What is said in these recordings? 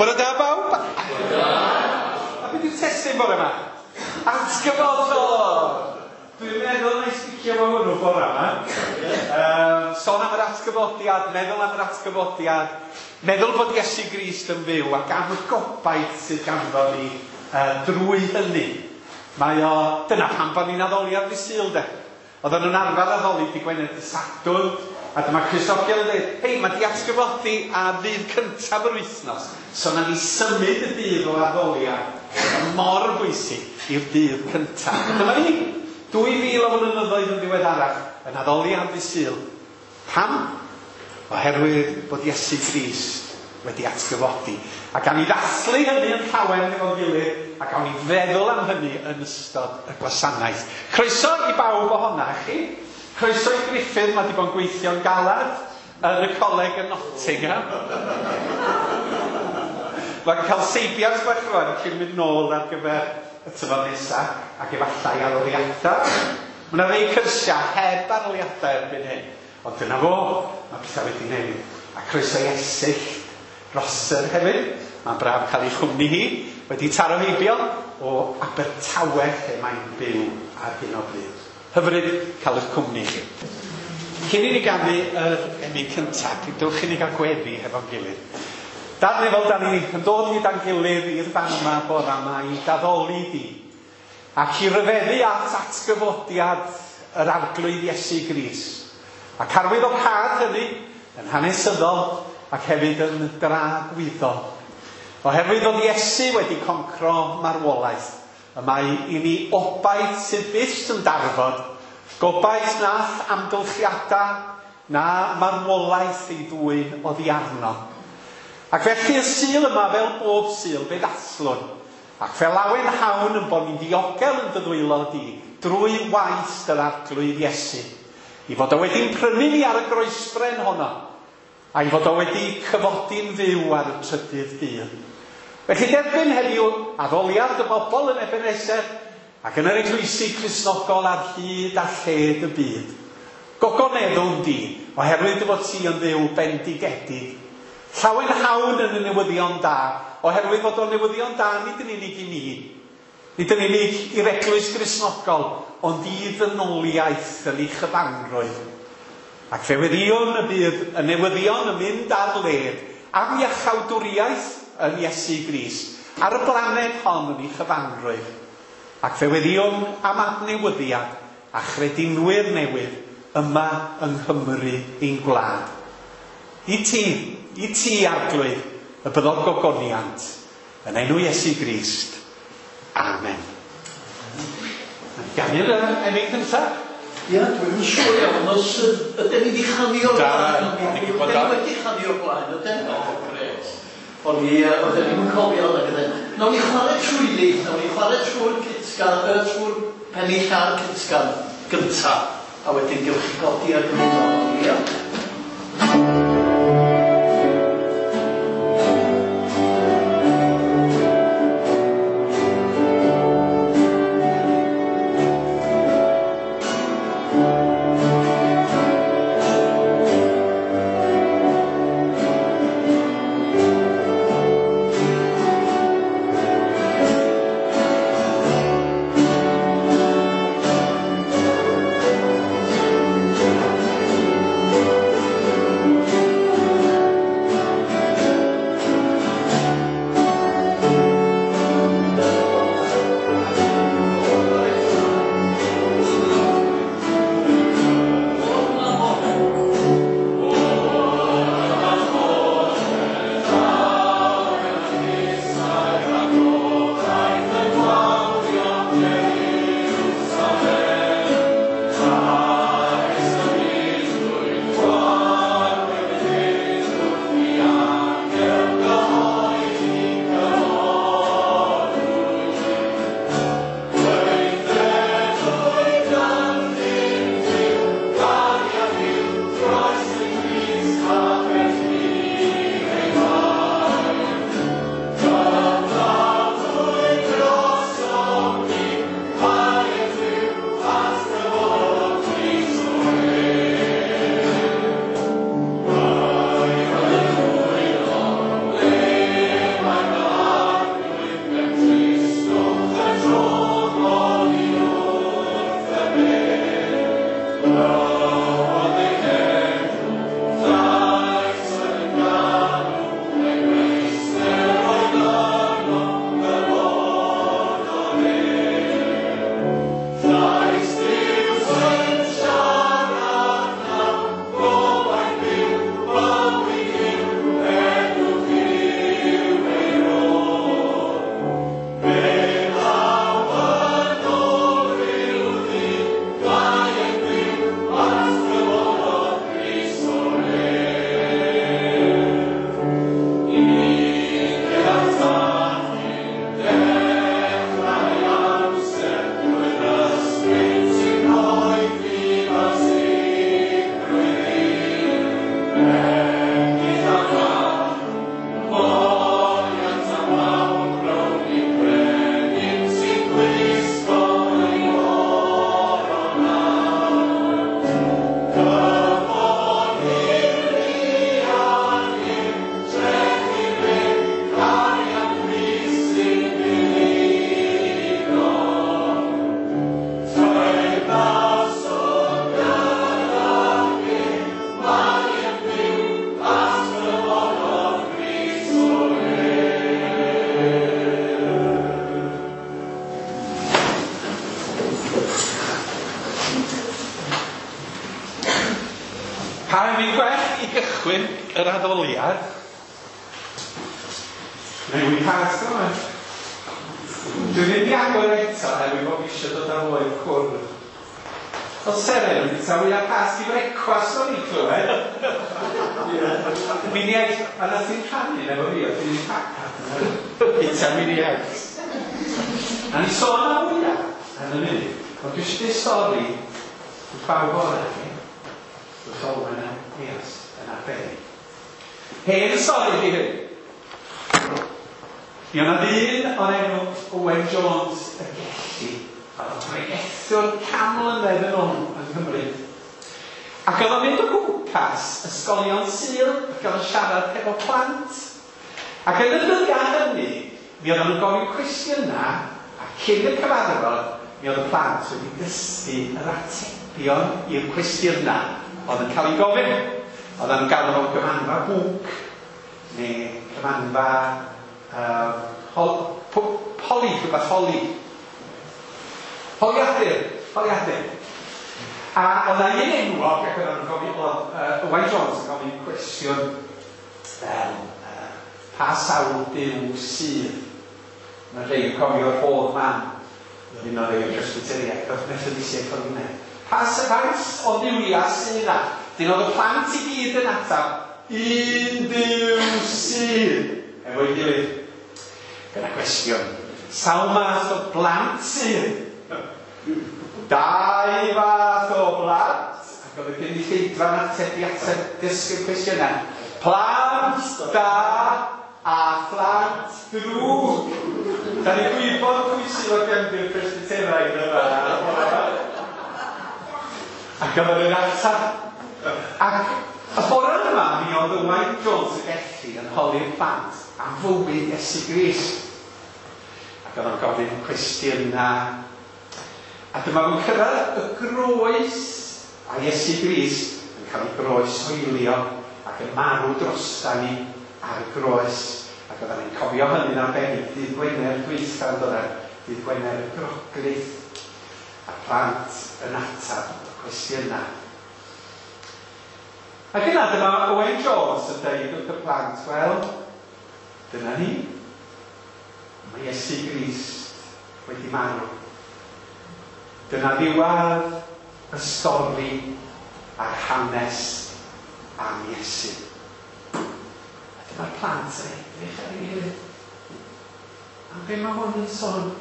Bore da bawb. A beth yw'r testun bore yma? Atgyfodol! Dwi'n meddwl na i sticio fo hwnnw bore yma. Sôn am yr atgyfodiad, meddwl am yr atgyfodiad, meddwl bod Iesu Grist yn fyw ac am y gobaith sydd ganddo ni drwy hynny. Mae o, dyna pam bod ni'n addoli ar ddydd Sul de. Oedden nhw'n arfer addoli dydd Gwener, dydd Sadwrn, a dyma Cristnogion yn dweud, hei, mae di atgyfodi ar ddydd cyntaf yr wythnos, so na ni symud y dydd o addoliad mor bwysig i'r dydd cyntaf. A dyma ni, 2000 o flynyddoedd yn ddiweddarach, yn addoli ar ddydd Sul. Pam? Oherwydd bod Iesu Grist wedi atgyfodi. A gawn ni ddathlu hynny yn llawen hefo'n gilydd, a gawn ni feddwl am hynny yn ystod y gwasanaeth. Croeso i bawb ohona chi. Croeso i Griffith, mae wedi bod yn gweithio'n galad yn y coleg yn Nottingham. Mae'n cael seibiant bach rwan cyn mynd nôl ar gyfer y tymor nesaf, ac efallai arholiadau. Mae yna rei cyrsiau heb arholiadau erbyn hyn. Ond dyna fo, mae pethau wedi newid. A croeso i Esyllt Rosser hefyd. Mae'n braf cael ei chwmni hi. Wedi taro heibio o Abertawe lle mae'n byw ar hyn o bryd. Hyfryd cael eich cwmni chi. Cyn i ni ganu yr emyn cyntaf, dewch i ni gael gweddi hefo'n gilydd. Dad nefol, da ni yn dod gyda'n gilydd i'r fan yma bora yma i d'addoli di. Ac i ryfeddu at atgyfodiad yr Arglwydd Iesu Grist. Ac arwyddocâd hynny yn hanesyddol ac hefyd yn dragwyddol. Oherwydd fod Iesu wedi concro marwolaeth, y mae i ni obaith sydd byth yn darfod, gobaith nath amgylchiadau na marwolaeth ei ddwyn oddi arno. Ac felly y Sul yma, fel bob Sul, fe ddathlwn. Ac fe lawenhawn yn bod ni'n ddiogel yn dy ddwylo di, drwy waith dy'r Arglwydd Iesu. I fod o wedi'n prynu ni ar y groesbren honno, a'i fod o wedi cyfodi'n fyw ar y trydydd dydd. Felly derbyn heddiw addoliad y bobl yn Ebenezer ac yn yr eglwysi Cristnogol ar hyd a lled y byd. Gogoneddwn di, oherwydd dy fod ti yn Dduw bendigedig. Llawenhawn yn y newyddion da, oherwydd fod o'n newyddion da nid yn unig i ni, nid yn unig i'r eglwys Gristnogol, ond i ddynoliaeth yn ei chyfanrwydd. Ac fe weddïwn y bydd y newyddion yn mynd ar led am iachawdwriaeth yn Iesu Grist, ar y blaned hon yn ei chyfanrwydd. Ac fe weddïwn am adnewyddiad a chredinwyr newydd yma yng Nghymru ein gwlad. I ti, i ti, Arglwydd, y byddo'r gogoniant, yn enw Iesu Grist. Amen. Ganu'r emyn cyntaf? Ia, dwi'm yn siŵr iawn os ydyn ni wedi chanu o'r blaen. Da, Ydyn ni wedi chanu o'r blaen, ydyn? O, grêt. O'n i, oedden ni'm yn cofio nag ydyn. Nawn ni chwarae trwyddi, nawn ni chwarae trwy'r cytgan, trwy'r pennill a'r cytgan gynta, a wedyn gewch chi godi ar gymuno. Ia. gychwyn yr addoliad, neu wy'n pasg yma. Dwi'n mynd i agor eto oherwydd bod fi eisiau dod ar ôl i'r cwrdd. Oedd Seren yn bwyta wyau Pasg i frecwast o'n i'n clywed. Mini eggs, a nath hi'n rhannu efo fi, oedd hi'n pac bwyta mini eggs. A ni sôn am wyau yn y munud, ond dwi eisiau dweud stori wrth bawb ohonoch chi, wrth Olwen a Eos yn arbennig. Hen stori di hyn. Mi oedd 'na ddyn o'r enw Owen Jones y Gelli, oedd o'n bregethwr 100 mlynedd yn ôl yng Nghymru. Ac oedd o'n mynd o gwmpas ysgolion Sul ac oedd o'n siarad hefo plant. Ac yn y dyddiau hynny, mi oedden nhw'n gofyn cwestiynau, a cyn y cyfarfod, mi oedd y plant wedi dysgu yr atebion i'r cwestiynau oedd yn cael eu gofyn. Oedden nhw'n galw fo'n gymanfa bwnc, neu cymanfa holi, rhywbeth holi. Holiadur, holiadur. A oedd 'na un enwog, ac oedden nhw'n gofyn, oedd Owain Jones yn gofyn cwestiwn fel, pa sawl Duw sydd? Mae rhai yn cofio'r rhodd man, oedd un o'r rhai o'r Presbyteriaid, oedd Methodistiaid cofio hynna. Pa faint o dduwiau sydd yna? Dyn oedd y plant i gyd yn ateb, un Duw sydd, efo'i gilydd. Dyna cwestiwn. Sawl math o blant sydd? Dau fath o blant. Ac oedd y gynulleidfa'n ateb i ateb dysgu'r cwestiynau. Plant da a phlant drwg. Da ni'n gwybod pwy sydd o gefndir Presbyteraidd yma. Ac oedd yn ateb. Ac y bore yma, mi oedd Owain Jones y Gelli yn holi'r plant am fywyd Iesu Grist. Ac oedd o'n gofyn cwestiynau. A dyma fo'n cyrraedd y groes, a Iesu Grist yn cael ei groeshoelio ac yn marw drosta ni ar y groes. Ac oedden ni'n cofio hynny'n arbennig dydd Gwener dwytha, yn doedden, dydd Gwener y Groglith, a plant yn ateb y cwestiynau. Ac yna dyma Owen Jones yn dweud wrth y plant, wel, dyna ni. Mae Iesu Grist wedi marw. Dyna ddiwedd y stori a'r hanes am Iesu. A dyma'r plant yn edrych ar ei gilydd. Am be mae hwn yn sôn?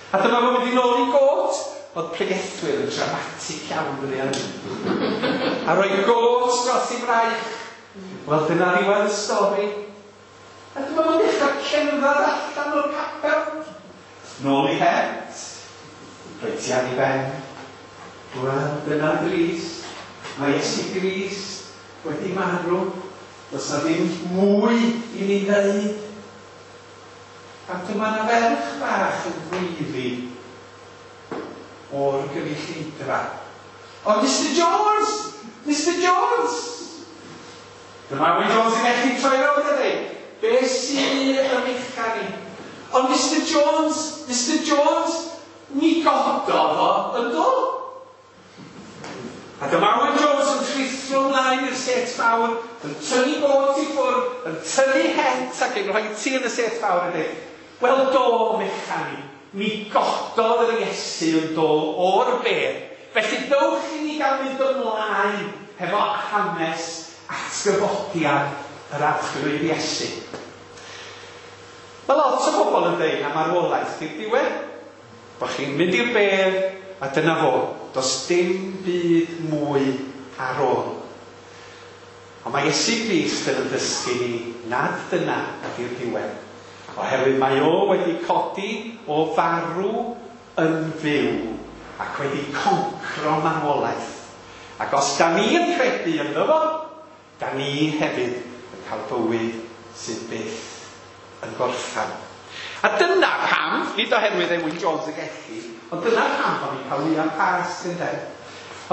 A dyma fo'n mynd i nôl i got. Oedd pregethwyr yn dramatic iawn dydy hynny. A rhoi got dros ei fraich. Wel, dyna ddiwedd y stori. A dyma fo'n dechrau cerdded allan o'r capel. Nôl i het. Rhoi ti ar ei ben. Wel, dyna drist. Mae Iesu Grist wedi marw. Does na ddim mwy i ni ddeud. A dyma na ferch bach yn gweiddi o'r gynulleidfa. Ond Mr Jones! Mr Jones! Dyma Owen Jones yn gallu troi rownd a dweud, be sydd yn ymechan i? Ond Mr Jones, Mr Jones, mi gododd o yn do? A dyma Owen Jones yn rhuthro ymlaen i'r set fawr, yn tynnu got i ffwrdd, yn tynnu het ac yn rhoi ti yn y set fawr a dweud, wel do, mechan i, mi gododd yr Iesu yn do o'r bedd, felly dowch i ni gael mynd ymlaen hefo hanes atgyfodiad yr Arglwydd Iesu. Mae lot o bobl yn dweud am marwolaeth di'r diwedd. Bo chi'n mynd i'r bedd, a dyna fo. Does dim byd mwy ar ôl. Ond mae Iesu Grist yn dysgu ni nad dyna ydy'r diwedd. Oherwydd mae o wedi codi o farw yn fyw ac wedi concro marwolaeth. Ac os da ni yn credu ynddo fo, da ni hefyd yn cael bywyd sydd byth yn gorffan. A dyna pam, nid oherwydd Owen Jones y Gelli, ond dyna pam bod ni'n cael wyau Pasg, ynde?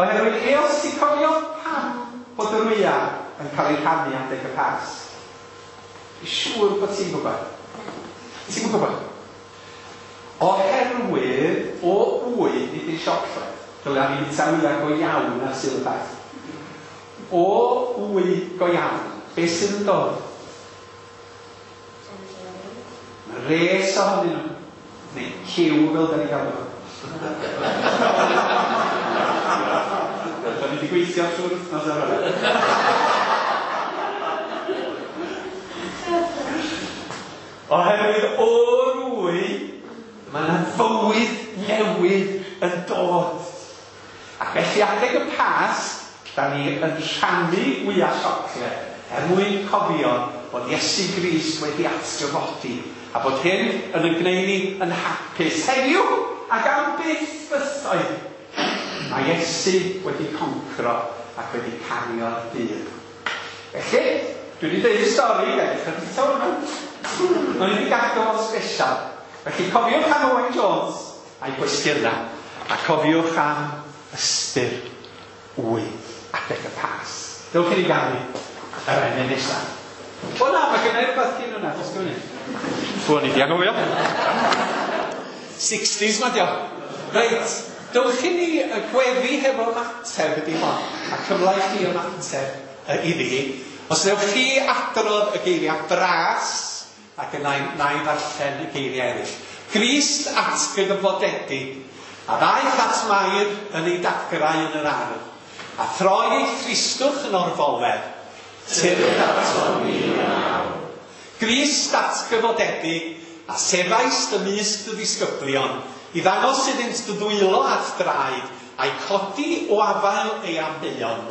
Oherwydd Eos, ti'n cofio pam bod yr wyau yn cael eu rhannu adeg y Pasg? Dwi'n siŵr bod ti'n gwybod. Ti'n gwybod? Oherwydd o wy, nid yn siocled, dylia ni fwyta wyau go iawn ar Sul y Pasg. O wy go iawn, beth sydd yn dod? Mae res ohonyn nhw. Neu ciw fel da ni'n galw. Da ni wedi gweithio trwy'r wythnos ar hwnna. Oherwydd o'r wy, mae yna fywyd newydd yn dod. Ac felly adeg y Pasg, da ni yn rhannu wyau siocled er mwyn cofio bod Iesu Grist wedi atgyfodi a bod hyn yn ein gwneud ni yn hapus heddiw ac am byth bythoedd. Mae Iesu wedi concro ac wedi cario'r byd. Felly, dwi wedi dweud y stori, ga i ddechrau bwyta hwnna. O'n i wedi gadw fo'n special. Felly cofiwch am Owain Jones a'i gwestiynau, a cofiwch am ystyr wy adeg y Pasg. Dewch i ni ganu yr emyn nesaf. O na, mae gennai rhywbeth cyn hwnna, jyst gofyn. O'n i di anghofio. 60s ma dio. Reit, dewch i ni gweddi hefo ymateb ydi hon, a cyfle i chi ymateb iddi. Os newch chi adrodd y geiriau bras, ac yna na i ddarllen y geiriau eraill. Grist atgyfodedig, a ddaeth at Mair yn ei dagrau yn yr ardd, a throi ei thristwch yn orfoledd, tyrd ato ni yn awr. Grist atgyfodedig, a sefaist ymysg dy ddisgyblion, i ddangos iddynt dy ddwylo at draed, a'i codi o afael ei amheuon.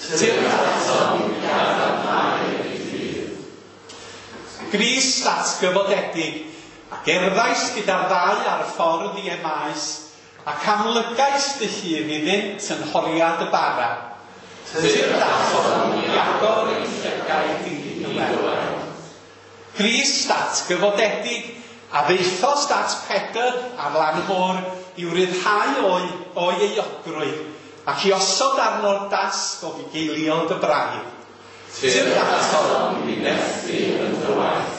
Tyrd ato ni gadarnhau ei ffydd. Grist atgyfodedig, a gerddaist gyda'r ddau ar y ffordd i Emmaus, ac amlygais dy hun iddynt yn nhoriad y bara. Tyrd ato i agor ei llygaid i dy weld. Grist atgyfodedig, a ddaethost at Pedr ar lan y môr i'w ryddhau o'i euogrwydd, ac i osod arno'r dasg o fugeilio dy braidd. Tyrd ato i nerthu yn dy waith.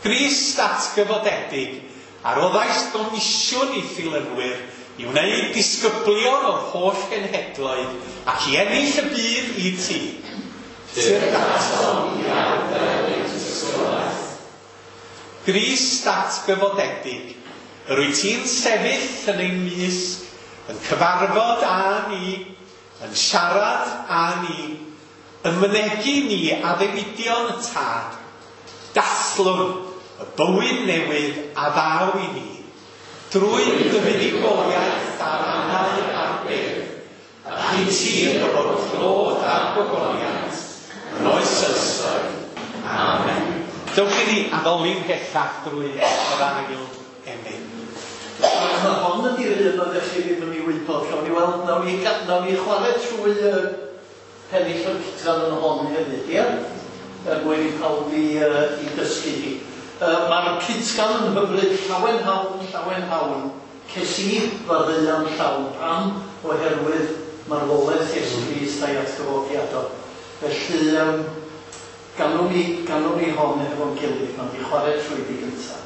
Grist atgyfodedig, a roddaist gomisiwn i ddilynwyr i wneud disgyblion o'r holl genhedloedd ac i ennill y byd i ti. Tyrd ato i arddel ei tystiolaeth. Grist atgyfodedig, yr wyt ti'n sefyll yn ein mysg, yn cyfarfod â ni, yn siarad â ni, yn mynegi ni addewidion y Tad, dathlwn y bywyd newydd a ddaw i ni, drwy dy fuddugoliaeth ar angau a'r bedd, ac i ti y bod clod a'r gogoniant yn oes oesoedd. Amen. Dewch i ni addoli'n mhellach drwy yr ail emyn. Mae hon ydy'r un oeddech chi ddim yn ei wybod. Gawn ni weld, nawn ni chwarae trwy y pennill o'r cytgan yn hon hefyd, ie? Er mwyn i pawb i dysgu hi. Mae'r cytgan yn hyfryd, llawen hawn, llawen hawn. Ces i faddeuant llawn. Pam? Oherwydd marwolaeth Iesu Grist a'i atgyfodiad o. Felly, ganwn ni hon efo'n gilydd, nawn ni chwarae trwyddi gyntaf.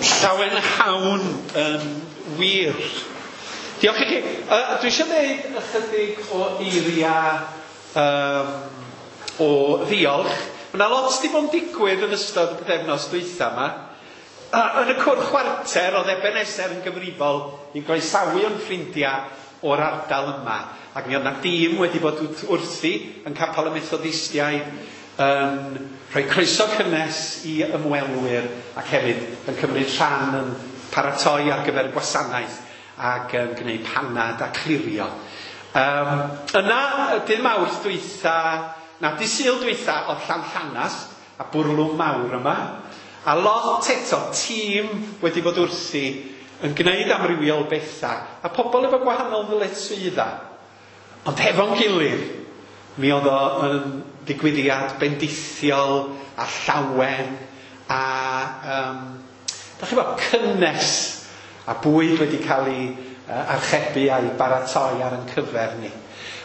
Llawenhawn yn wir. Diolch i chi. Dwi eisiau dweud ychydig o eiriau o ddiolch. Mae yna lot wedi bod yn digwydd yn ystod y pythefnos dwytha yma. Yn y cwr chwarter oedd Ebenezer yn gyfrifol i groesawu o'n ffrindiau o'r ardal yma. Ac mi oedd yna dîm wedi bod wrthi yn Capel y Methodistiaid yn rhoi croeso cynnes i ymwelwyr ac hefyd yn cymryd rhan yn paratoi ar gyfer y gwasanaeth ac yn gwneud panad a clirio. Yna, dydd Mawrth dwytha, na, dydd Sul dwytha oedd Llanllanast a bwrlwm mawr yma. A lot eto, tîm wedi bod wrthi yn gwneud amrywiol bethau a pobl efo gwahanol ddyletswyddau. Ond hefo'n gilydd, mi oedd o yn ddigwyddiad bendithiol a llawen a da chi bod, cynnes a bwyd wedi cael ei archebu a'i baratoi ar ein cyfer ni.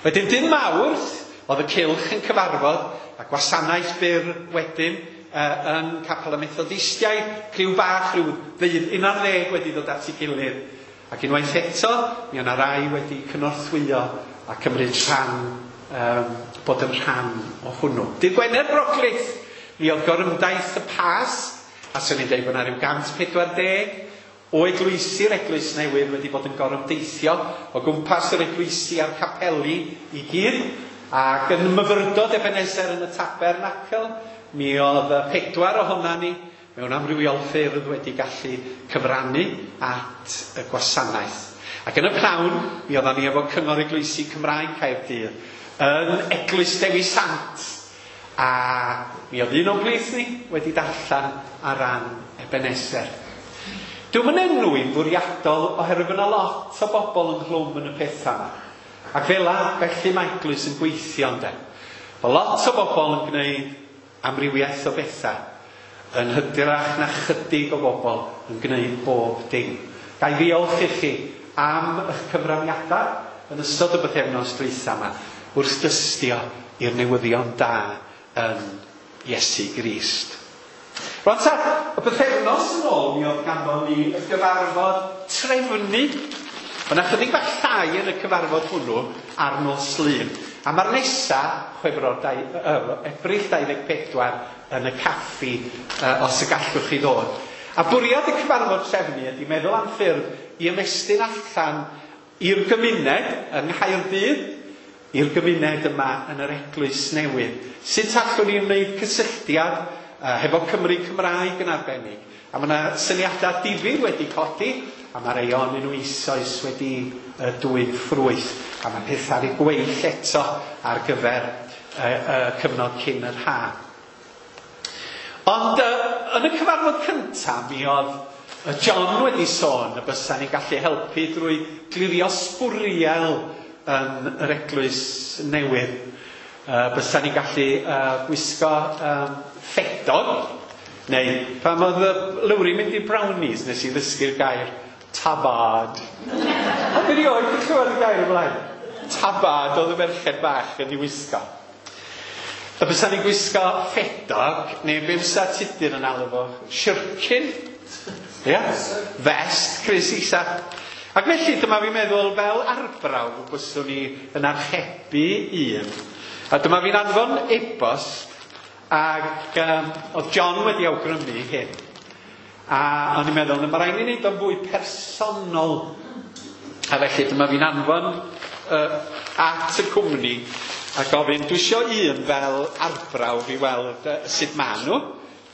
Wedyn dydd Mawrth oedd y cylch yn cyfarfod a gwasanaeth byr wedyn yn Capel y Methodistiaid, criw bach, rhyw 11 wedi dod at ei gilydd. Ac unwaith eto, mi o'na rai wedi cynorthwyo a cymryd rhan, bod yn rhan o hwnnw. Dydd Gwener Groglith, mi oedd gorymdaith y Pasg, a swn i'n dweud bod yna rhyw 140 o eglwysi'r eglwys newydd wedi bod yn gorymdeithio o gwmpas yr eglwysi a'r capeli i gyd. Ac yn myfyrdod Ebenezer yn y tabernacl, mi oedd 4 ohona ni mewn amrywiol ffyrdd wedi gallu cyfrannu at y gwasanaeth. Ac yn y pnawn, mi oeddan ni efo Cyngor Eglwysi Cymraeg Caerdydd yn Eglwys Dewi Sant. A mi oedd un o'n plith ni wedi darllen ar ran Ebenezer. Dwi'm yn enwi'n fwriadol oherwydd yna lot o bobl ynghlwm yn y pethau yma. Ac fel felly mae eglwys yn gweithio ynde. Mae lot o bobl yn gwneud amrywiaeth o bethau yn hytrach na chydig o bobl yn gwneud bob dim. Ga i ddiolch i chi am eich cyfraniadau yn ystod y bythefnos dwytha yma wrth dystio i'r newyddion da yn Iesu Grist. Rwan ta, y bythefnos yn ôl mi oedd ganddo ni y gyfarfod trefnu. Mae yna chydig bach llai yn y cyfarfod hwnnw ar nos Lun. A mae'r nesa, Chwefror Ebrill 24, yn y caffi, os y gallwch chi ddod. A bwriad y cyfarfod trefnu ydy meddwl am ffyrdd i ymestyn allan i'r gymuned yng Nghaerdydd, i'r gymuned yma yn yr eglwys newydd. Sut allwn ni wneud cysylltiad hefo Cymru Cymraeg yn arbennig? A mae yna syniadau difyr wedi codi, a mae rhai ohonyn nhw eisoes wedi dwyn ffrwyth. A mae pethau ar eu gweill eto ar gyfer y cyfnod cyn yr ha. Ond yn y cyfarfod cyntaf, mi oedd John wedi sôn y bysa ni'n gallu helpu drwy glirio sbwriel yn yr eglwys newydd. Bysa ni'n gallu gwisgo ffedog, neu pan oedd Lowri mynd i brownies nes i ddysgu'r gair tabad. Ond erioed wedi clywed y gair ymlaen. Tabad oedd y merched bach yn ei wisgo. Y bysa ni'n gwisgo ffedog, neu be fysa Tudur yn alw fo? Shirkin. Ia? Vest, Chris Isa. Ac felly dyma fi'n meddwl fel arbrawf byswn ni yn archebu un. A dyma fi'n anfon e-bost ac oedd John wedi awgrymu hyn. A o'n i'n meddwl, mae rhaid i ni wneud o'n fwy personol. A felly dyma fi'n anfon at y cwmni a gofyn, dwi isio un fel arbrawf i weld sut maen nhw.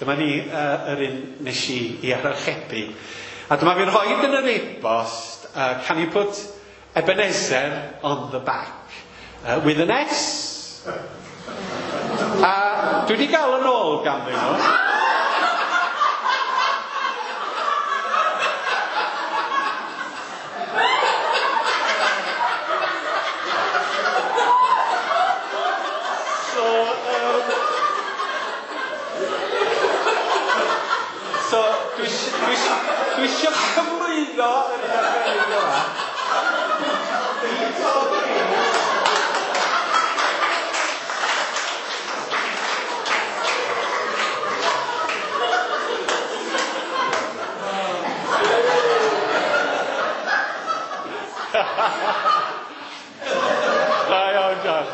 Dyma ni yr un nes i archebu. A dyma fi'n rhoi yn yr e-bost, can you put Ebenezer on the back? With an S. A dwi wedi gael yn ôl ganddyn nhw. So, dwi eisiau cyflwyno yr un arbennig yma. Da iawn, John.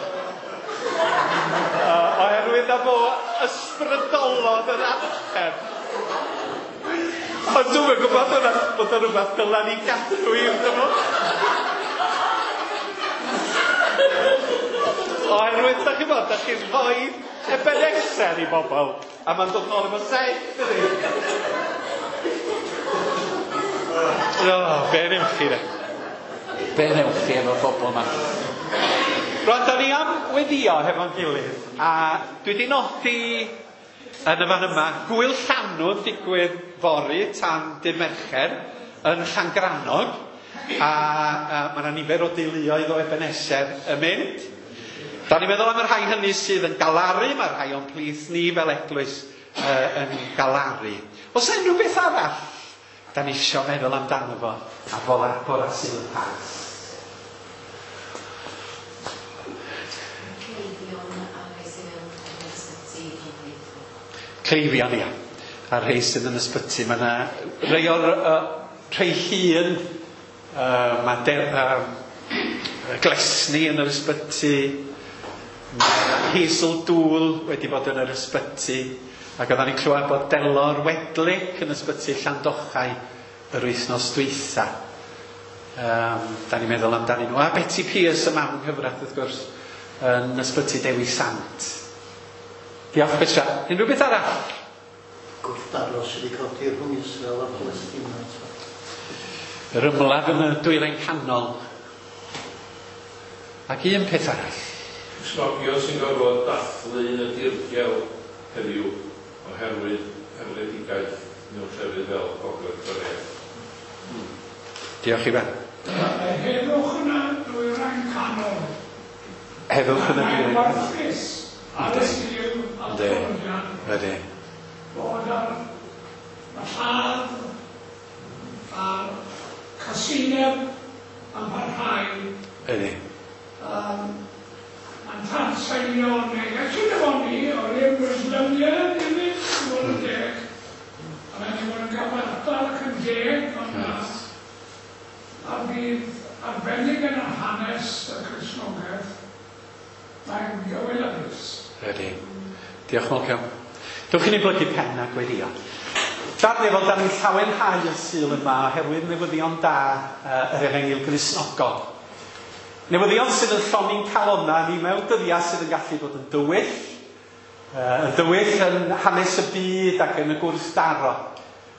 Oherwydd na fo ysbrydolodd yr archeb. Ond dwi'm yn gwybod bod o rhywbeth dyla ni gadw i'r dyfodol. Oherwydd, da chi'n bod, da chi'n rhoi Ebenezer i bobl, a mae'n dod nôl efo set, dydi? O, be newch chi de? Be newch chi efo'r bobl yma? Rwan, da ni am weddio hefo'n gilydd, a dwi wedi nodi yn y fan yma, gwyl llanw yn digwydd fory tan dydd Mercher yn Llangrannog, a mae yna nifer o deuluoedd o Ebenezer yn mynd. Da ni'n meddwl am y rhai hynny sydd yn galaru, mae rhai o'n plith ni fel eglwys yn galaru. Oes yna unrhyw beth arall da ni isio meddwl amdano fo ar bora Sul y Pasg? Cleifion a rhai sydd mewn yn ysbyty Llanfairpwll. Cleifion, ia. A rhai sydd yn ysbyty. Mae yna rhai o'r rhai hŷn, mae Glesni yn yr ysbyty, mae Hazel Dŵl wedi bod yn yr ysbyty, ac oedden ni'n clywed bod Delor Wedlick yn ysbyty Llandochau yr wythnos dwytha. Da ni'n meddwl amdanyn nhw. A Betty Pierce, y mam nghyfraith, wrth gwrs, yn ysbyty Dewi Sant. Diolch, Petra. Unrhyw beth arall? Gwrthdaro sydd wedi codi rhwng Israel a Palestina. Yr ymladd yn y dwyrain canol. Ac un peth arall. Cristnogion sy'n gorfod dathlu yn y dirgel heddiw oherwydd erledigaeth mewn llefydd fel Gogledd Corea. Diolch Ifan. Heddwch yn y dwyrain canol. Heddwch yn y dwyrain canol. Mae'n warthus ar y Sul a'r Cordian. Ydy. Bod ar y lladd a'r casineb yn parhau. Ydy. Mae'n tanseilio neges i efo ni o'r un Muslimia hefyd, i fod yn deg. A mae'n i fod yn gyfartal ac yn deg, ond a bydd arbennig yn yr hanes y Cristnogaeth, mae'n gywilyddus. Ydy. Diolch, Malcolm. Dewch i ni blygu pen a gweddio. Dad nefol, da ni'n llawenhau y Sul yma oherwydd newyddion da yr Efengyl Gristnogol. Newyddion sydd yn llonni'n calonna ni mewn dyddiau sydd yn gallu bod yn dywyll, yn dywyll yn hanes y byd ac yn y gwrthdaro.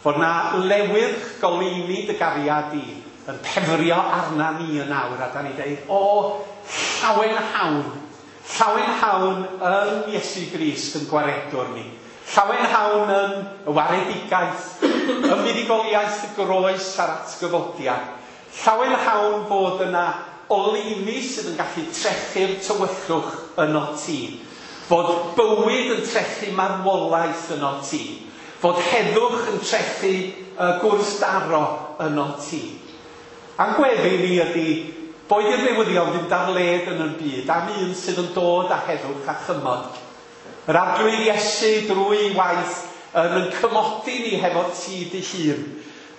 Fod na lewyrch goleuni dy gariad i yn pefrio arna ni yn awr, a da ni dweud, o, llawenhawn, llawenhawn yn Iesu Grist yn gwaredwr ni. Llawenhawn yn y waredigaeth, y fuddugoliaeth y groes a'r atgyfodiad. Llawenhawn bod yna oleuni sydd yn gallu trechu'r tywyllwch yno ti. Fod bywyd yn trechu marwolaeth yno ti. Fod heddwch yn trechu gwrthdaro yno ti. A'n gweddi ni ydy, boed i'r newyddion fynd ar led yn y byd am un sydd yn dod â heddwch a chymod. Yr Arglwydd Iesu drwy waith yn cymodi ni hefo ti dy hun,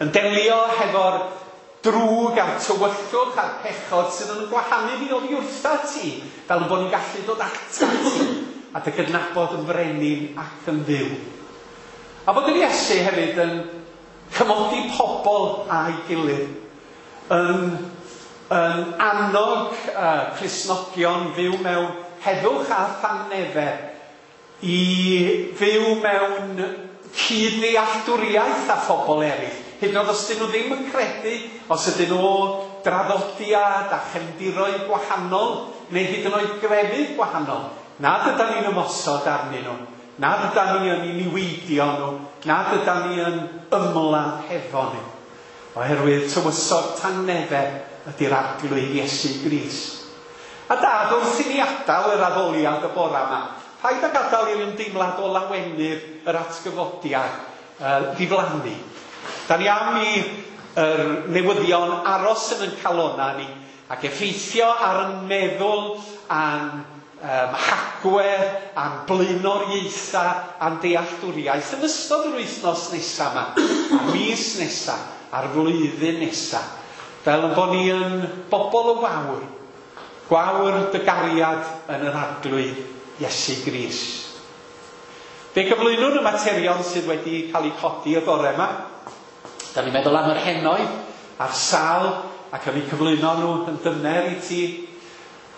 yn delio hefo'r drwg a'r tywyllwch a'r pechod sydd yn gwahanu ni oddi wrtha ti, fel bod ni'n gallu dod ata ti a dy gydnabod yn frenin ac yn dduw. A bod yr Iesu hefyd yn cymodi pobl a'i gilydd, yn annog Cristnogion fyw mewn heddwch a thangnefedd, i fyw mewn cyd-ddealltwriaeth â phobl eraill. Hyd yn oed os ydyn nhw ddim yn credu, os ydyn nhw draddodiad a chefndiroedd gwahanol, neu hyd yn oed grefydd gwahanol, nad ydan ni'n ymosod arnyn nhw, nad ydan ni yn niweidio nhw, nad ydan ni yn ymladd hefo nhw. Oherwydd tywysog tangnefedd ydy'r Arglwydd Iesu Grist. A Dad, wrth i ni adael yr addoliad y bora yma, paid â gadael i'r ymdeimlad o lawenydd yr atgyfodiad ddiflannu. Da ni am i yr newyddion aros yn ein calonna ni ac effeithio ar ein meddwl a'n hagwedd a'n blaenoriaethau a'n dealltwriaeth yn ystod yr wythnos nesaf yma, a'r mis nesaf, a'r flwyddyn nesaf. fel yn bod ni yn bobl y wawr, gwawr dy gariad yn yr Arglwydd Iesu Grist. Fe gyflwynwn y materion sydd wedi cael eu codi y bore yma. Da ni'n meddwl am yr henoed a'r sal ac am eu cyflwyno nhw yn dyner i ti.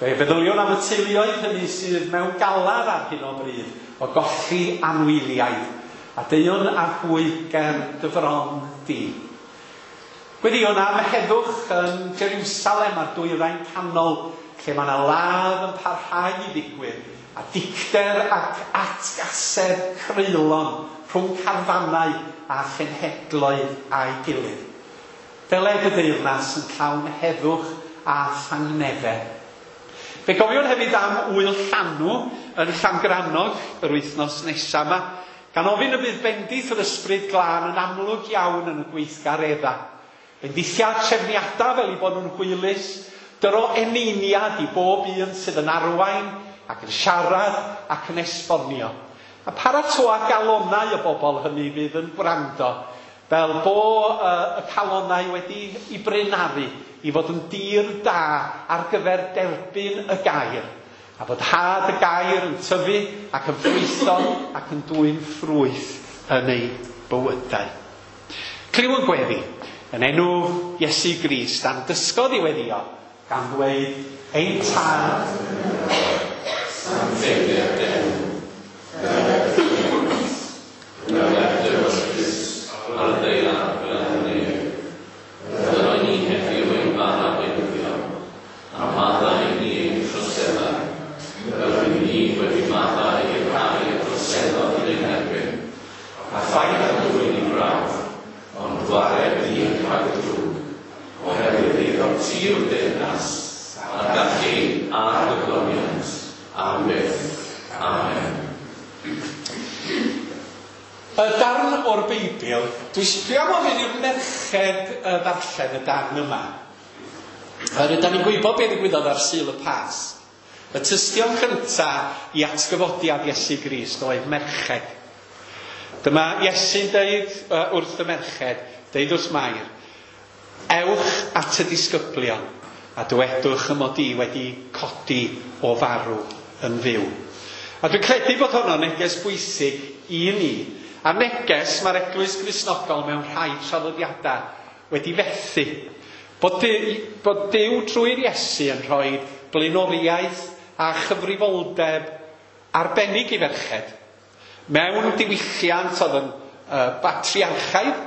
Fe feddyliwn am y teuluoedd hynny sydd mewn galar ar hyn o bryd o golli anwyliaid a deuwn â hwy ger dy fron di. Gweddïwn am heddwch yn Jerusalem a'r dwyrain canol lle mae yna ladd yn parhau i ddigwydd a dicter ac atgasedd creulon rhwng carfanau a chenhedloedd a'i gilydd. Deled y deyrnas yn llawn heddwch a thangnefedd. Fe gofiwn hefyd am ŵyl llanw yn Llangrannog yr wythnos nesaf yma, gan ofyn y bydd bendith yr ysbryd glân yn amlwg iawn yn y gweithgareddau. Bendithiad trefniadau fel i bod nhw'n hwylus, dyro eneiniad i bob un sydd yn arwain ac yn siarad ac yn esbonio. A paratoa galonau y bobl hynny fydd yn gwrando, fel bo y calonau wedi i brynaru i fod yn dir da ar gyfer derbyn y gair. A bod had y gair yn tyfu ac yn ffrwytho ac yn dwyn ffrwyth yn eu bywydau. Clyw yn gweddi yn enw Iesu Grist a'n dysgodd i weddio gan ddweud ein tad sancteiddier dy enw, dyled dy deyrnas, dyled dy ewyllys ar y ddaear fel yn y nef. Dyro ni heddiw ein bara beunyddiol, a maddau i ni ein troseddau, fel rydyn ni wedi maddau i'r rhai y troseddodd yn ein erbyn, a phaid â dwyn i brawf, ond gwared ni rhag y drwg, oherwydd eiddo ti yw'r deyrnas, a'r gallu a'r gogoniant, am byth. Amen. Y darn o'r Beibl, dwi am ofyn i'r merched ddarllen y darn yma. Rydyn ni'n gwybod beth ddigwyddodd ar Sul y Pasg. Y tystion cyntaf i atgyfodiad Iesu Grist oedd merched. Dyma Iesu'n deud wrth y merched, deud wrth Mair, ewch at y disgyblion a dywedwch y mod i wedi codi o farw yn fyw. A dwi'n credu bod honno'n neges bwysig i ni. A neges mae'r Eglwys Gristnogol mewn rhai traddodiadau wedi fethu. Bod Duw trwy'r Iesu yn rhoi blaenoriaeth a chyfrifoldeb arbennig i ferched. Mewn diwylliant oedd yn batriarchaidd,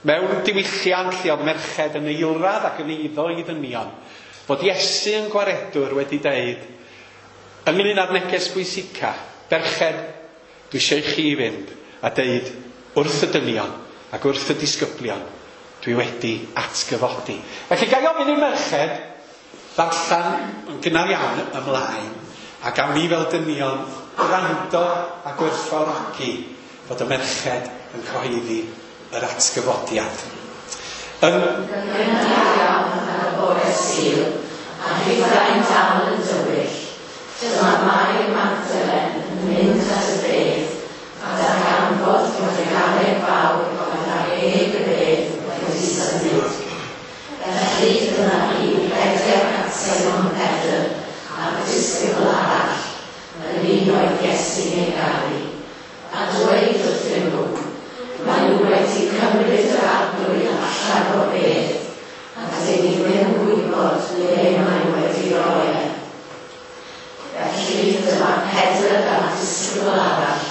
mewn diwylliant lle oedd merched yn eilradd ac yn eiddo i ddynion, bod Iesu yn gwaredwr wedi deud, ynglyn â'r neges bwysica, ferched, dwi eisiau i chi fynd a deud wrth y dynion ac wrth y disgyblion, dwi wedi atgyfodi. Felly ga i ofyn i'r merched ddarllen yn gynnar iawn ymlaen, a gawn ni fel dynion gwrando a gwerthfawrogi fod y merched yn cyhoeddi yr atgyfodiad. Yn gynnar iawn ar y bore Sul, a hithau'n dal yn dywyll, dyma Mair Magdalen yn mynd at y bedd, a darganfod fod y garreg fawr oedd ar eg y bedd wedi symud. Felly dyma hi rhedeg at Simon Pedr a'r disgybl arall, yr un oedd Iesu'n ei garu, a dweud wrthyn nhw, maen nhw wedi cymryd yr Arglwydd allan o'r bedd, a dyn ni ddim yn gwybod le maen nhw wedi roi e. Felly dyma Pedr a'r disgybl arall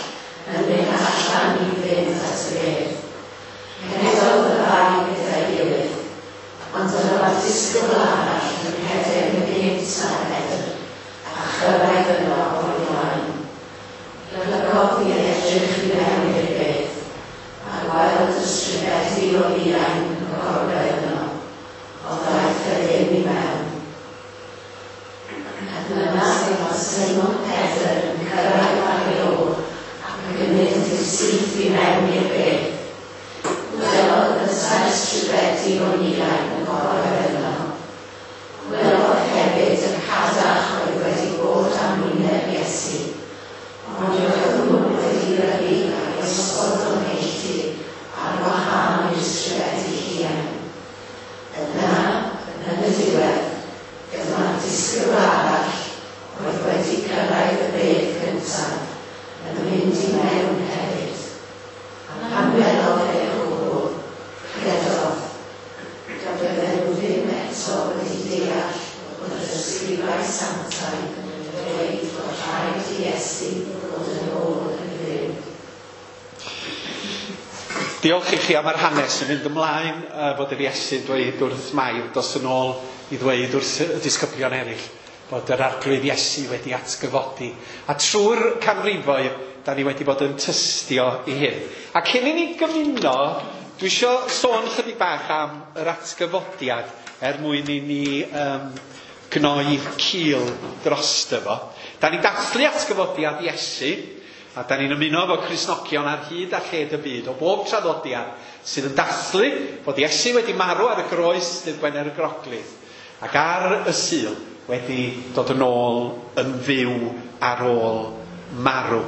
Diolch i chi am yr hanes yn mynd ymlaen fod yr Iesu'n dweud wrth Mair, dos yn ôl i ddweud wrth y disgyblion eraill bod yr Arglwydd Iesu wedi atgyfodi. A trwy'r canrifoedd, da ni wedi bod yn tystio i hyn. A cyn i ni gymuno, dwi isio sôn chydig bach am yr atgyfodiad er mwyn i ni gnoi cil drosto fo. Da ni'n dathlu atgyfodiad Iesu, a da ni'n ymuno efo Cristnogion ar hyd a lled y byd o bob traddodiad sydd yn dathlu bod Iesu wedi marw ar y groes dydd Gwener y Groglith ac ar y Sul wedi dod yn ôl yn fyw ar ôl marw.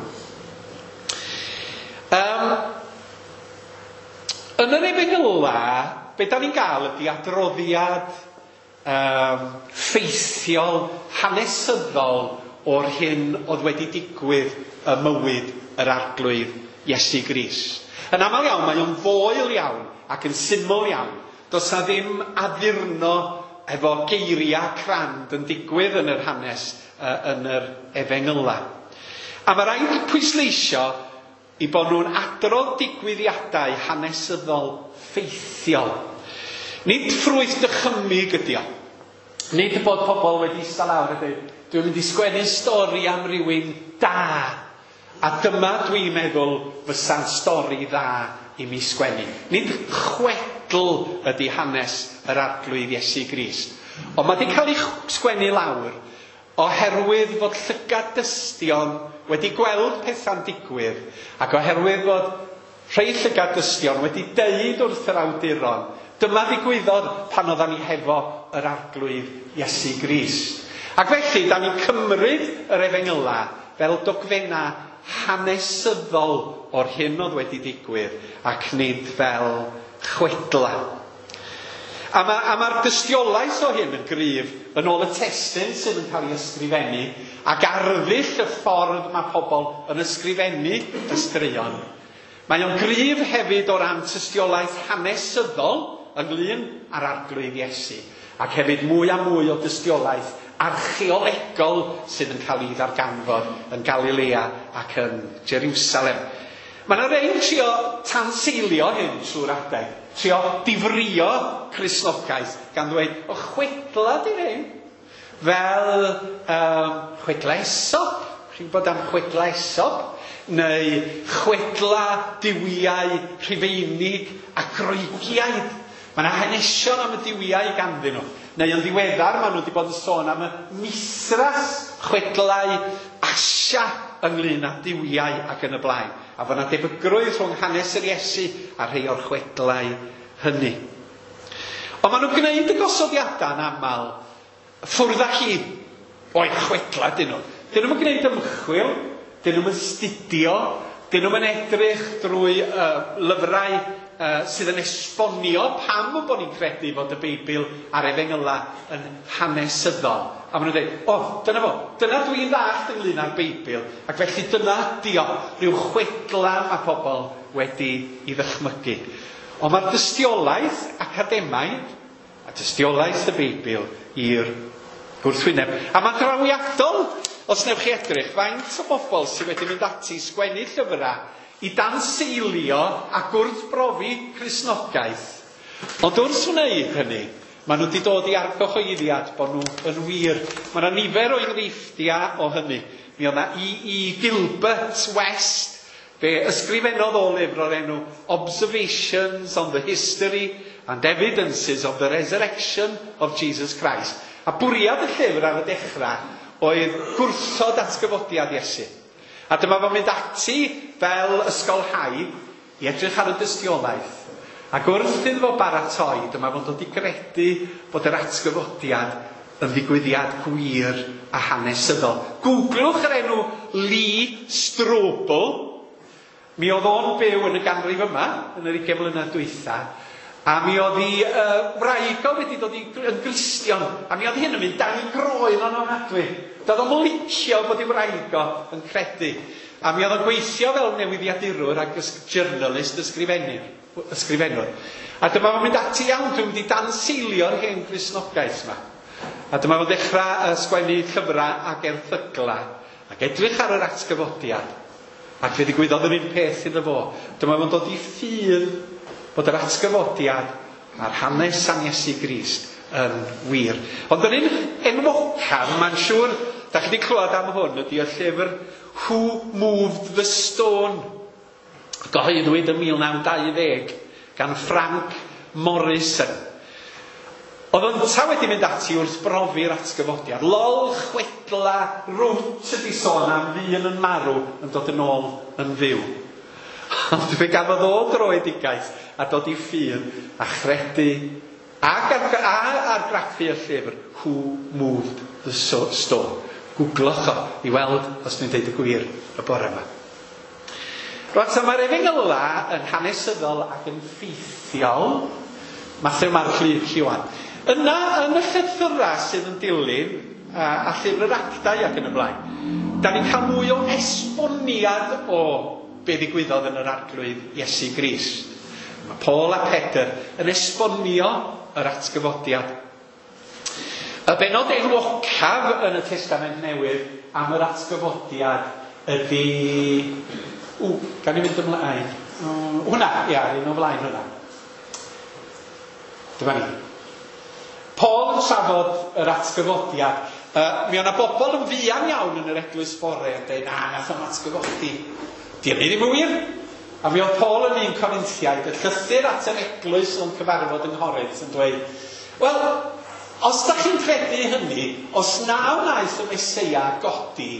Yn yr Efengyla, be da ni'n gael ydy adroddiad ffeithiol, hanesyddol o'r hyn oedd wedi digwydd y mywyd yr Arglwydd Iesu Grist. Yn aml iawn, mae o'n foel iawn ac yn syml iawn. Does na ddim addurno efo geiriau crand yn digwydd yn yr hanes yn yr Efengyla. A mae rhaid pwysleisio i bod nhw'n adrodd digwyddiadau hanesyddol ffeithiol. Nid ffrwyth dychymyg ydi o. Nid bod pobl wedi eistedd lawr a dweud, dwi'n mynd i sgwennu stori am rywun da. A dyma dwi'n meddwl fysa'n stori dda i mi sgwennu. Nid chwedl ydi hanes yr Arglwydd Iesu Grist. Ond mae wedi cael ei sgwennu lawr oherwydd fod llygad dystion wedi gweld pethau'n digwydd ac oherwydd fod rhai llygad dystion wedi deud wrth yr awduron, dyma ddigwyddodd pan oeddan ni hefo yr Arglwydd Iesu Grist. Ac felly, da ni'n cymryd yr Efengyla fel dogfenna hanesyddol o'r hyn oedd wedi digwydd ac nid fel chwedla. A mae'r dystiolaeth o hyn yn gryf yn ôl y testun sydd yn cael ei ysgrifennu ac arddull y ffordd mae pobl yn ysgrifennu y straeon. Mae o'n gryf hefyd o ran tystiolaeth hanesyddol ynglyn â'r Arglwydd Iesu ac hefyd mwy a mwy o dystiolaeth archeolegol sydd yn cael ei ddarganfod yn Galilea ac yn Jerusalem. Mae yna rei'n trio tanseilio hyn trwy'r adeg, trio difrio Cristnogaeth gan ddweud, o chwedla di hyn, fel chwedla Aesop, chi'n gwybod am chwedla Aesop, neu chwedla duwiau Rhufeinig a Groegiaid. Mae yna hanesion am y duwiau ganddyn nhw. Neu yn ddiweddar, maen nhw wedi bod yn sôn am y Mithras, chwedlau Asia ynglyn â duwiau ac yn y blaen. A fod yna debygrwydd rhwng hanes yr Iesu a rhai o'r chwedlau hynny. Ond maen nhw'n gwneud y gosodiadau yn aml ffwrdd â hi o'i chwedlau dyn nhw. Dyn nhw'n gwneud ymchwil, dyn nhw'n astudio, dyn nhw'n edrych drwy lyfrau sydd yn esbonio pam bod ni'n credu fod y Beibl a'r Efengyla yn hanesyddol. A maen nhw'n dweud, o, dyna fo, dyna dwi'n ddallt ynglyn â'r Beibl, ac felly dyna ydi o, rhyw chwedla mae pobl wedi ei ddychmygu. Ond mae'r dystiolaeth academaidd a dystiolaeth y Beibl i'r gwrthwyneb. A mae'n drawiadol, os newch chi edrych, faint o bobl sydd wedi mynd ati i sgwennu llyfrau i danseilio a gwrthbrofi Cristnogaeth. Ond wrth wneud hynny, maen nhw wedi dod i argyhoeddiad bod nhw yn wir. Mae yna nifer o enghreifftiau o hynny. Mi oedd yna E.E. Gilbert West, fe ysgrifennodd o lyfr o'r enw Observations on the History and Evidences of the Resurrection of Jesus Christ. A bwriad y llyfr ar y dechrau oedd gwrthod atgyfodiad Iesu. A dyma fo'n mynd ati fel ysgolhaig i edrych ar y dystiolaeth. Ac wrth iddo fo baratoi, dyma fo'n dod i gredu bod yr atgyfodiad yn ddigwyddiad gwir a hanesyddol. Googlwch yr enw Lee Strobel. Mi oedd o'n byw yn y ganrif yma, yn yr 20 mlynedd dwytha, a mi oedd ei wraig o wedi dod yn Gristion, a mi oedd hyn yn mynd dan ei groen o'n ofnadwy. Doedd o'm licio bod ei wraig o yn credu. A mi oedd o'n gweithio fel newyddiadurwr ac journalist ysgrifennwr. A dyma fo'n mynd ati iawn, dwi'n mynd i danseilio'r hen Gristnogaeth yma. A dyma fo'n dechrau sgwennu llyfrau ac erthyglau ac edrych ar yr atgyfodiad. Ac fe ddigwyddodd yr un peth iddo fo. Dyma fo'n dod i ffydd bod yr atgyfodiad a'r hanes am Iesu Grist yn wir. Ond yr un enwocaf, mae'n siŵr, da chi wedi clywed am hwn, ydy y llyfr Who Moved the Stone? Gyhoeddwyd yn 1920 gan Frank Morrison. Oedd ynta wedi mynd ati wrth brofi'r atgyfodiad. Lol, chwedla, rwt ydi sôn am ddyn yn marw yn dod yn ôl yn fyw. Ond fe gafodd o droedigaeth a dod i ffydd a chredu ac argraffu y llyfr Who Moved the Stone. Googlwch o i weld os dwi'n deud y gwir y bore yma. Rwan, so mae'r efengyla yn hanesyddol ac yn ffeithiol. Mathew, Marc, Luc, Ioan. Yna, yn y llythyrau sydd yn dilyn, a llyfr yr Actau ac yn y blaen, da ni'n cael mwy o esboniad o be ddigwyddodd yn yr Arglwydd Iesu Grist. Mae Paul a Pedr yn esbonio yr atgyfodiad. Y bennod enwocaf yn y Testament Newydd am yr atgyfodiad ydy... Gan i fynd ymlaen. Hwna, ia, un o flaen hwnna. Dyma ni. Paul yn trafod yr atgyfodiad. Mi o'na bobl yn fuan iawn yn yr eglwys bore yn dweud, na, nath o'm atgyfodi. Di hynny ddim yn wir. A mi oedd Paul yn un Corinthiaid, y llythyr at yr eglwys o'n cyfarfod yng Nghorinth yn dweud, wel, os da chi'n credu hynny, os na wnaeth y Meseia godi,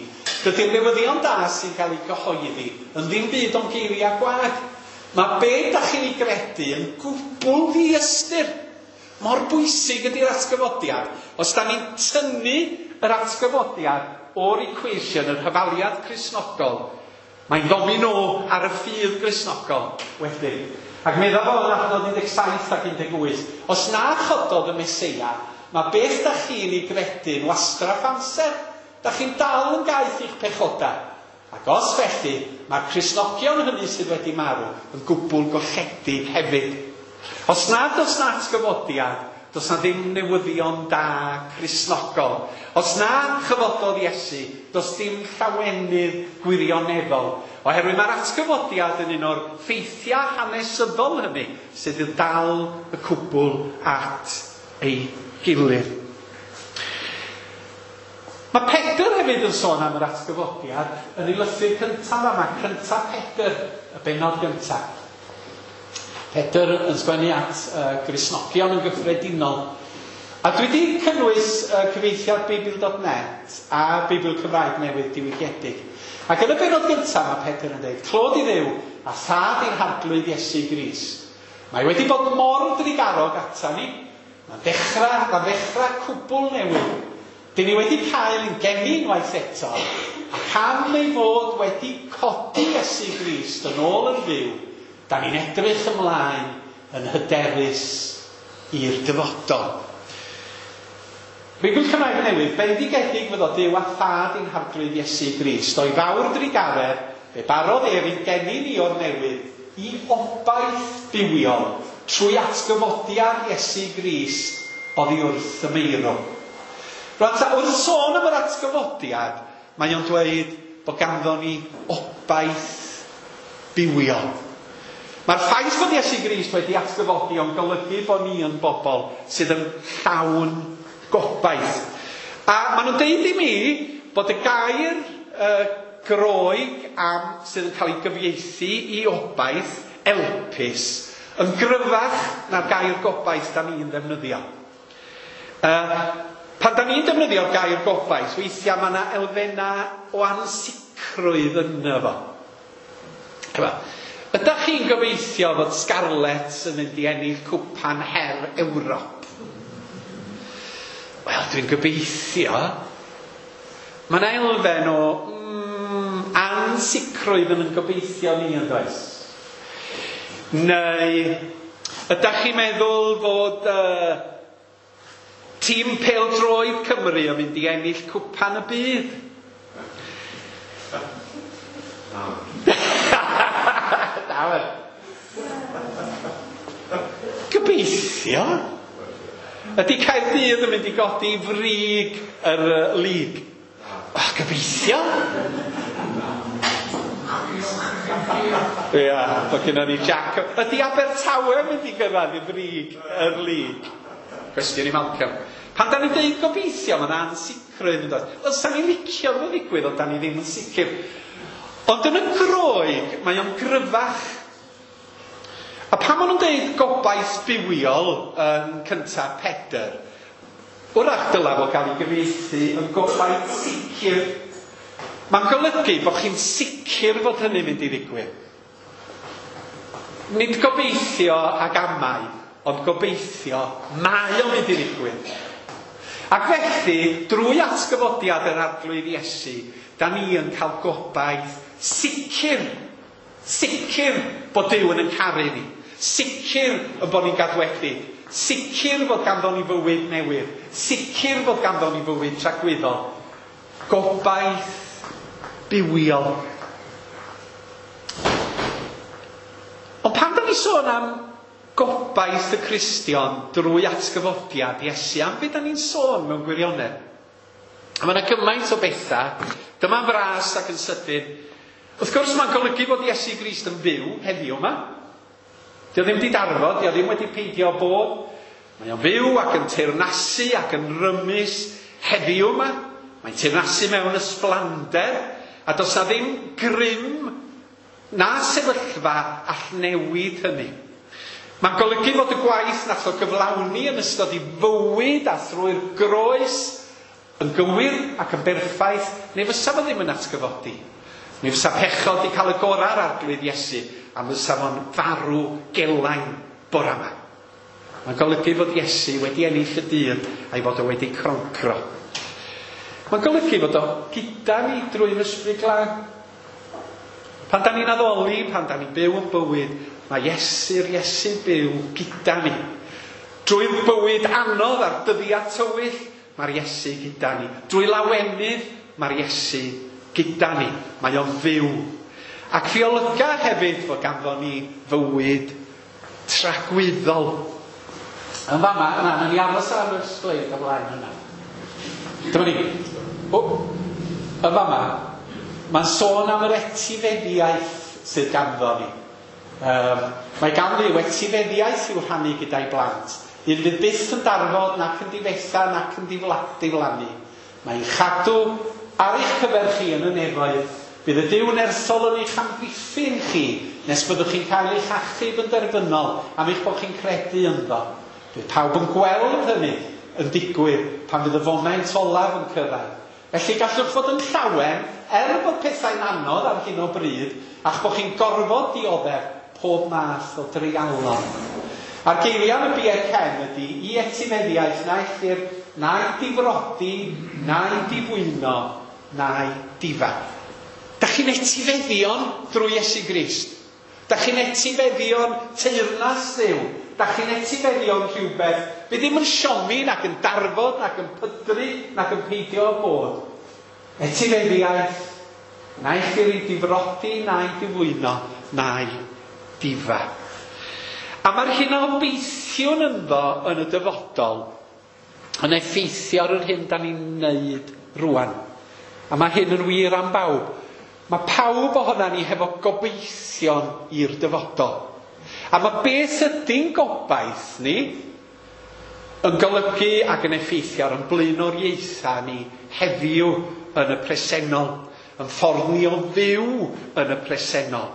dydy'r newyddion da sy'n cael ei gyhoeddi yn ddim byd ond geiriau gwag. Mae be da chi'n ei gredu yn gwbl ddiystyr. Mor bwysig ydy'r atgyfodiad. Os da ni'n tynnu yr atgyfodiad o'r equation, yr hafaliad Cristnogol, mae'n domino ar y ffydd Gristnogol wedyn. Ac meddwl fo yn adnod 17 ac 18, os na chododd y Meseia, mae beth da chi'n ei gredu'n wastraff amser. Da chi'n dal yn gaeth i'ch pechodau. Ac os felly, mae'r Cristnogion hynny sydd wedi marw yn gwbl golledig hefyd. Os na does na atgyfodiad, does na ddim newyddion da Cristnogol. Os na chyfododd Iesu, does dim llawenydd gwirioneddol. Oherwydd mae'r atgyfodiad yn un o'r ffeithiau hanesyddol hynny sydd yn dal y cwbl at ei gilydd. Mae Pedr hefyd yn sôn am yr atgyfodiad yn ei lythyr cyntaf yma, cyntaf Pedr, y bennod gyntaf. Pedr yn sgwennu at Gristnogion yn gyffredinol. A dwi wedi cynnwys cyfieithiad Beibl.net a Beibl Cymraeg Newydd diwygiedig. Ac yn y bennod gyntaf mae Pedr yn dweud, clod i Dduw a thad i'n harglwydd Iesu Grist. Mae wedi bod mor drugarog ata ni. Mae'n ddechrau cwbl newydd. Dyn ni wedi cael ein geni unwaith eto, ac am ei fod wedi codi Iesu Grist yn ôl yn fyw, da ni'n edrych ymlaen yn hyderus i'r dyfodol. Beibl Cymraeg Newydd, bendigedig fyddo Duw a thad i'n harglwydd Iesu Grist, o'i fawr drugaredd, fe barodd ef i'n geni ni o'r newydd i obaith bywiol trwy atgyfodiad Iesu Grist oddi wrth y meirw. Rwan ta, wrth sôn am yr atgyfodiad, mae o'n dweud bod ganddo ni obaith bywiol. Mae'r ffaith bod Iesu Grist wedi atgyfodi o'n golygu bod ni yn bobl sydd yn llawn gobaith. A maen nhw'n deud i mi bod y gair Groeg am sydd yn cael ei gyfieithu i obaith, elpis, yn gryfach na'r gair gobaith da ni'n ddefnyddio. Pan da ni'n defnyddio'r gair gobaith, weithiau mae yna elfennau o ansicrwydd yno fo. Ydych chi'n gobeithio fod Scarlets yn mynd i ennill cwpan her Ewrop? Wel, dwi'n gobeithio. Mae yna elfen o ansicrwydd yn gobeithio ni, yn does? Neu, ydych chi'n meddwl fod tîm pêl-droed Cymru yn mynd i ennill cwpan y byd? Gobeithio. Ydy Caerdydd yn mynd i godi frig yr lig? Oh, gobeithio. Ia, mae gennym ni Jack. Ydy Abertawe yn mynd i gyrraedd i brig yr lig? Cwestiwn i Malcolm. Pan da ni'n dweud gobeithio, mae yna ansicrwydd yn dod. Wel, sa'n ni'n licio fo ddigwydd, ond da ni ddim yn sicr. Ond yn y Groeg, mae o'n gryfach. A pan maen nhw'n dweud gobaith bywiol yn cyntaf Pedr, wrach dylai fo gael ei gyfieithu yn gobaith sicr. Mae'n golygu bod chi'n sicr fod hynny'n mynd i ddigwydd. Nid gobeithio ag amau, ond gobeithio mae o'n mynd i ddigwydd. Ac felly, drwy atgyfodiad yr Arglwydd Iesu, da ni yn cael gobaith sicr, sicr bod Duw yn ein caru ni, sicr y bod ni'n gadwedig, sicr fod ganddo ni fywyd newydd, sicr fod ganddo ni fywyd tragwyddol. Gobaith bywiol. Ond pan da ni sôn am gobaith y Cristion drwy atgyfodiad Iesu, am beth da ni'n sôn mewn gwirionedd? A mae yna gymaint o bethau. Dyma'n fras ac yn sydyn. Wrth gwrs mae'n golygu bod Iesu Grist yn fyw heddiw yma. Dio ddim wedi darfod, dio ddim wedi peidio bod. Mae o'n fyw ac yn teyrnasu ac yn rymus heddiw yma. Mae'n teyrnasu mewn ysblander. A does na ddim grym na sefyllfa all newid hynny. Mae'n golygu fod y gwaith nath o gyflawni yn ystod ei fywyd a thrwy'r groes yn gywir ac yn berffaith, neu fysa fo ddim yn atgyfodi. Neu fysa pechod wedi cael y gorau ar Arglwydd Iesu, a fysa fo'n farw gelain bora yma. Mae'n golygu fod Iesu wedi ennill y dydd a'i fod o wedi croncro. Mae'n golygu fod o gyda ni drwy'r Ysbryd Glân. Pan da ni'n addoli, pan da ni'n byw yn bywyd, mae Iesu'r Iesu byw gyda ni. Drwy'r bywyd anodd a'r dyddiau tywyll, mae'r Iesu gyda ni. Drwy lawenydd, mae'r Iesu gyda ni. Mae o'n fyw. Ac fi olyga hefyd fod ganddo ni fywyd tragwyddol. Yn fama, na, nawn ni aros ar y sleid o blaen yna. Dyma ni. O, yn fama, mae'n sôn am yr etifeddiaeth sydd ganddo ni. Mae gan Dduw etifeddiaeth i'w rhannu gyda'i blant. Un fydd byth yn darfod, nac yn difetha, nac yn diflannu. Mae'n chadw ar eich cyfer chi yn y nefoedd. Bydd y Duw nerthol yn eich amddiffyn chi, nes byddwch chi'n cael eich achub yn derfynol am eich bod chi'n credu ynddo. Bydd pawb yn gweld hynny yn digwydd pan fydd y foment olaf yn cyrraedd. Felly gallwch fod yn llawen, er bod pethau'n anodd ar hyn o bryd, a'ch bod chi'n gorfod dioddef pob math o dreialon. A'r geiriau yn y Bie Cen ydy i etifeddiaeth na ellir na'i difrodi, na'i difwyno, na'i difa. Da chi'n etifeddion drwy Iesu Grist. Da chi'n etifeddion teyrnas Dduw. Da chi'n etifeddion rhywbeth bydd ddim yn siomi, nac yn darfod, nac yn pydru, nac yn peidio â bod. Etifeddiaeth, na ellir ei difrodi, na'i difwyno, na'i difa. A mae'r hyn a obeithiwn ynddo yn y dyfodol yn effeithio ar yr hyn da ni'n neud rwan. A mae hyn yn wir am bawb. Mae pawb ohona ni hefo gobeithion i'r dyfodol. A mae beth ydy'n gobaith ni yn golygu ac yn effeithio ar ein blaenoriaethau ni heddiw yn y presennol, yn ffordd ni o fyw yn y presennol.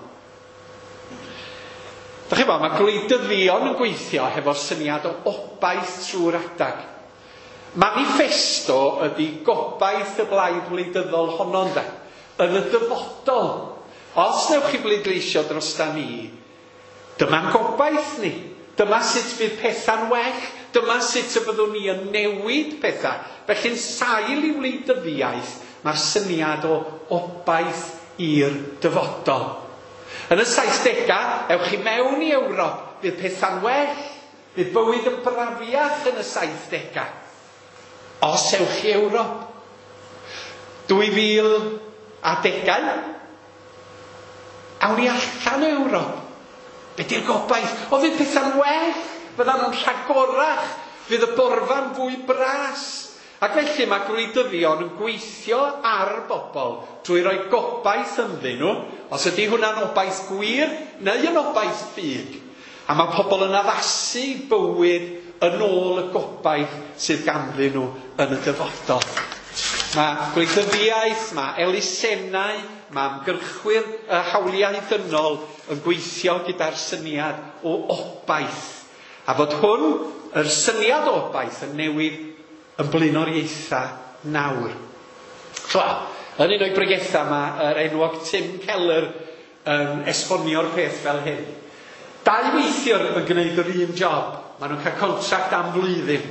Dach chi'n gwybod, mae gwleidyddion yn gweithio hefo'r syniad o obaith trwy'r adag. Manifesto ydy gobaith y blaid wleidyddol honno, ynde? Yn y dyfodol. Os newch chi bleidleisio drosta ni, dyma'n gobaith ni. Dyma sut fydd pethau'n well. Dyma sut y byddwn ni yn newid pethau. Felly'n sail i wleidyddiaeth, mae'r syniad o obaith i'r dyfodol. Yn y 70au, ewch chi mewn i Ewrop, fydd pethau'n well, fydd bywyd yn brafiach yn y 70au. Os ewch i Ewrop. 2010au, awn ni allan o Ewrop. Be di'r gobaith? O, fydd pethau'n well, fyddan nhw'n rhagorach, fydd y borfa'n fwy bras. Ac felly mae gwleidyddion yn gweithio ar bobl drwy roi gobaith ynddyn nhw, os ydy hwnna'n obaith gwir neu yn obaith ffug. A mae pobl yn addasu bywyd yn ôl y gobaith sydd ganddyn nhw yn y dyfodol. Mae gwleidyddiaeth, mae elusennau, mae ymgyrchwyr hawliau dynol yn gweithio gyda'r syniad o obaith. A fod hwn, yr syniad o obaith, yn newid yn blaenoriaethau nawr. Wel, yn un o'i bregethau mae yr enwog Tim Keller yn esbonio'r peth fel hyn. Dau weithiwr yn gwneud yr un job. Maen nhw'n cael contract am flwyddyn.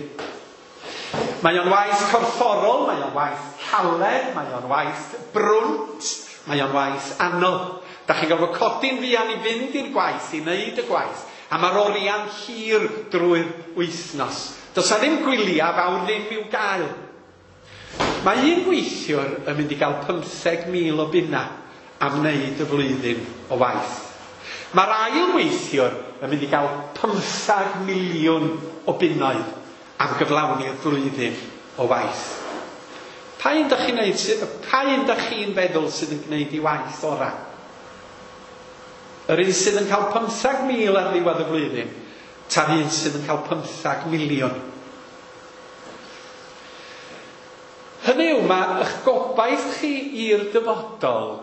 Mae o'n waith corfforol, mae o'n waith caled, mae o'n waith brwnt, mae o'n waith anodd. Da chi'n gorfod codi'n fuan i fynd i'r gwaith, i wneud y gwaith. A mae'r oriau'n hir drwy'r wythnos. Does 'na ddim gwyliau fawr ddim i'w gael. Mae un gweithiwr yn mynd i gael 15,000 o bunna am wneud y flwyddyn o waith. Mae'r ail weithiwr yn mynd i gael 15 miliwn o bunnoedd am gyflawni'r flwyddyn o waith. Pa un dach chi'n neud, pa un dach chi'n feddwl sydd yn gwneud ei waith orau? Yr un sydd yn cael 15,000 ar ddiwedd y flwyddyn, ta'r un sydd yn cael 15 miliwn. Hynny yw, mae eich gobaith chi i'r dyfodol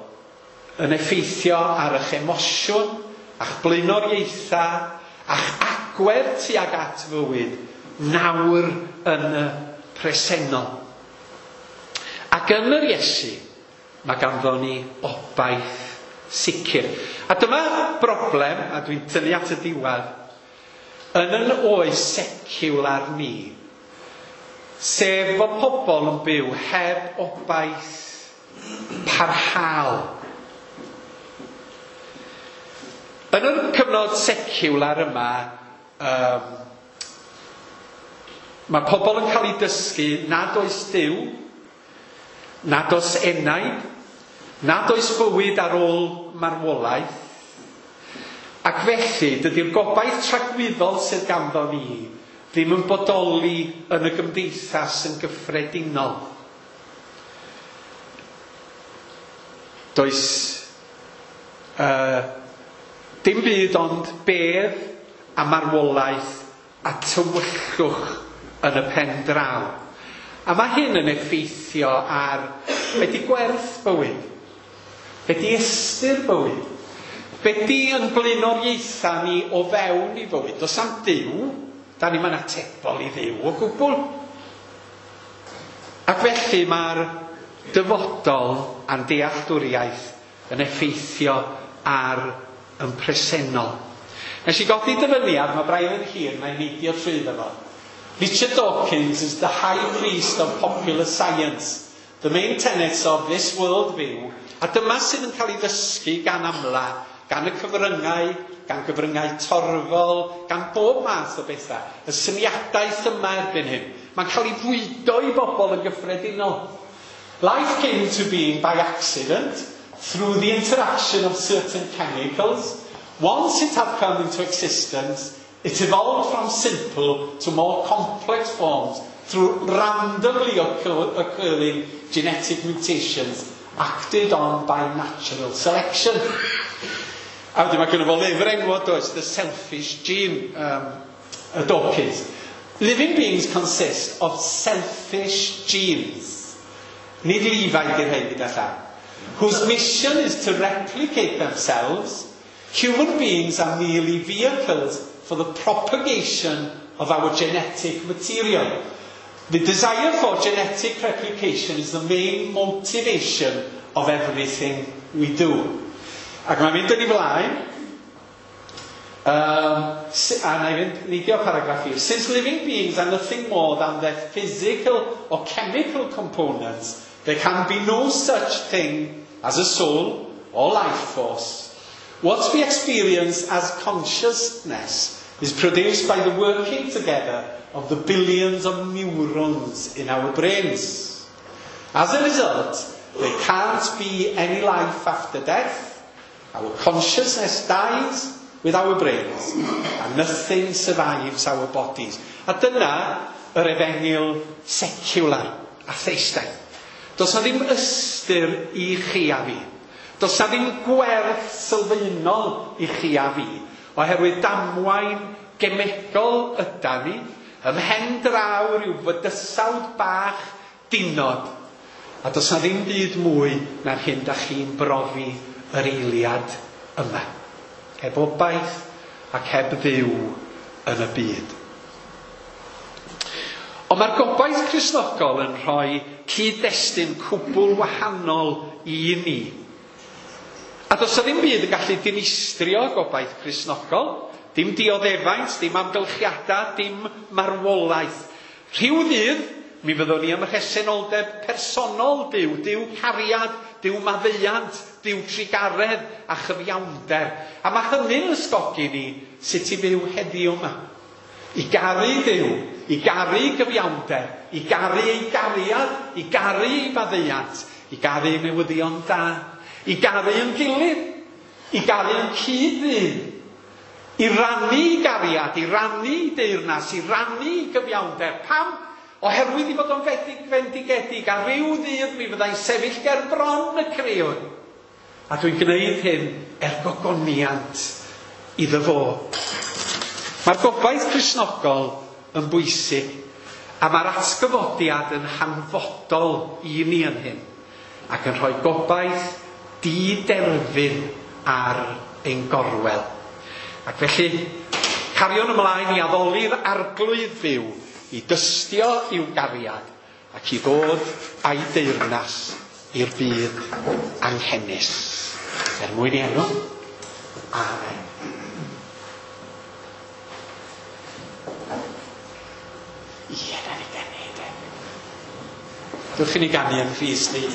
yn effeithio ar eich emosiwn, a'ch blaenoriaethau, a'ch agwedd tuag at fywyd nawr yn y presennol. Ac yn yr Iesu, mae ganddo ni obaith sicr. A dyma broblem, a dwi'n tynnu at y diwedd, yn yn oes seciwlar ni, sef fod pobl yn byw heb obaith parhaol. Yn y cyfnod seciwlar yma, mae pobl yn cael eu dysgu nad oes Duw, nad oes enaid, nad oes bywyd ar ôl marwolaeth, ac felly dydy'r gobaith tragwyddol sydd ganddo ni ddim yn bodoli yn y gymdeithas yn gyffredinol. Does dim byd ond bedd a marwolaeth a tywyllwch yn y pen draw. A mae hyn yn effeithio ar be di gwerth bywyd, be di ystyr bywyd, be di yn blaenoriaethau ni o fewn i fywyd. Does am Duw, da ni'm yn atebol i Dduw o gwbl. Ac felly mae'r dyfodol a'n dealltwriaeth yn effeithio ar yn presennol. Nes i godi dyfyniad, mae braidd yn hir, mae'n neidio trwyddo fo. Richard Dawkins is the high priest of popular science, the main tenets of this world view, a dyma sydd yn cael ei ddysgu gan amla, gan y cyfryngau, gan gyfryngau torfol, gan bob math o bethau. Y syniadaeth yma erbyn hyn. Mae'n cael ei fwydo i bobl yn gyffredinol. Life came into being by accident through the interaction of certain chemicals. Once it had come into existence, it evolved from simple to more complex forms through randomly occurring genetic mutations acted on by natural selection. A wedyn mae gynno fo lyfr enwog, does, The Selfish Gene, y Dawkins. Living beings consist of selfish genes. Nid Levi di'r rhain gyda llaw. Whose mission is to replicate themselves. Human beings are merely vehicles for the propagation of our genetic material. The desire for genetic replication is the main motivation of everything we do. Ac mae'n mynd yn ei flaen, a na i fynd neidio paragraff i. Since living beings are nothing more than their physical or chemical components, there can be no such thing as a soul or life force. What we experience as consciousness is produced by the working together of the billions of neurons in our brains. As a result, there can't be any life after death. Our consciousness dies with our brains, and nothing survives our bodies. A dyna yr efengyl seciwlar a theistaidd. Does na ddim ystyr i chi a fi. Does na ddim gwerth sylfaenol i chi a fi, oherwydd damwain gemegol yda ni, ymhen draw rhyw fydysawd bach dinod. A does na ddim byd mwy na'r hyn da chi'n brofi yr eiliad yma. Heb obaith ac heb Dduw yn y byd. Ond mae'r gobaith Cristnogol yn rhoi cyd-destun cwbl wahanol i ni. A does na ddim byd yn gallu dinistrio gobaith Cristnogol. Dim dioddefaint, dim amgylchiadau, dim marwolaeth. Rhyw ddydd, mi fyddwn ni ym mhresenoldeb personol Duw, Duw cariad, Duw maddeuant, Duw trugaredd a chyfiawnder. A mae hynny'n ysgogi ni sut i fyw heddiw yma. I garu Duw, i garu gyfiawnder, i garu ei gariad, i garu ei faddeuant, i garu ei newyddion da, i garu yn gilydd, i garu yn cyd-ddyn, i rannu ei gariad, i rannu ei deyrnas, i rannu ei gyfiawnder. Pam? Oherwydd i fod o'n fendigedig, a rhyw ddydd mi fyddai'n sefyll ger bron y Crëwr. A dwi'n gwneud hyn er gogoniant iddo fo. Mae'r gobaith Cristnogol yn bwysig, a mae'r atgyfodiad yn hanfodol i ni yn hyn, ac yn rhoi gobaith diderfyn ar ein gorwel. Ac felly, cariwn ymlaen i addoli'r Arglwydd fyw, i dystio i'w gariad, ac i ddod a'i deyrnas i'r byd anghenus. Er mwyn i enw. Amen. Ie, na ni ganu, de. Dewch i ni ganu yn Rhys ni.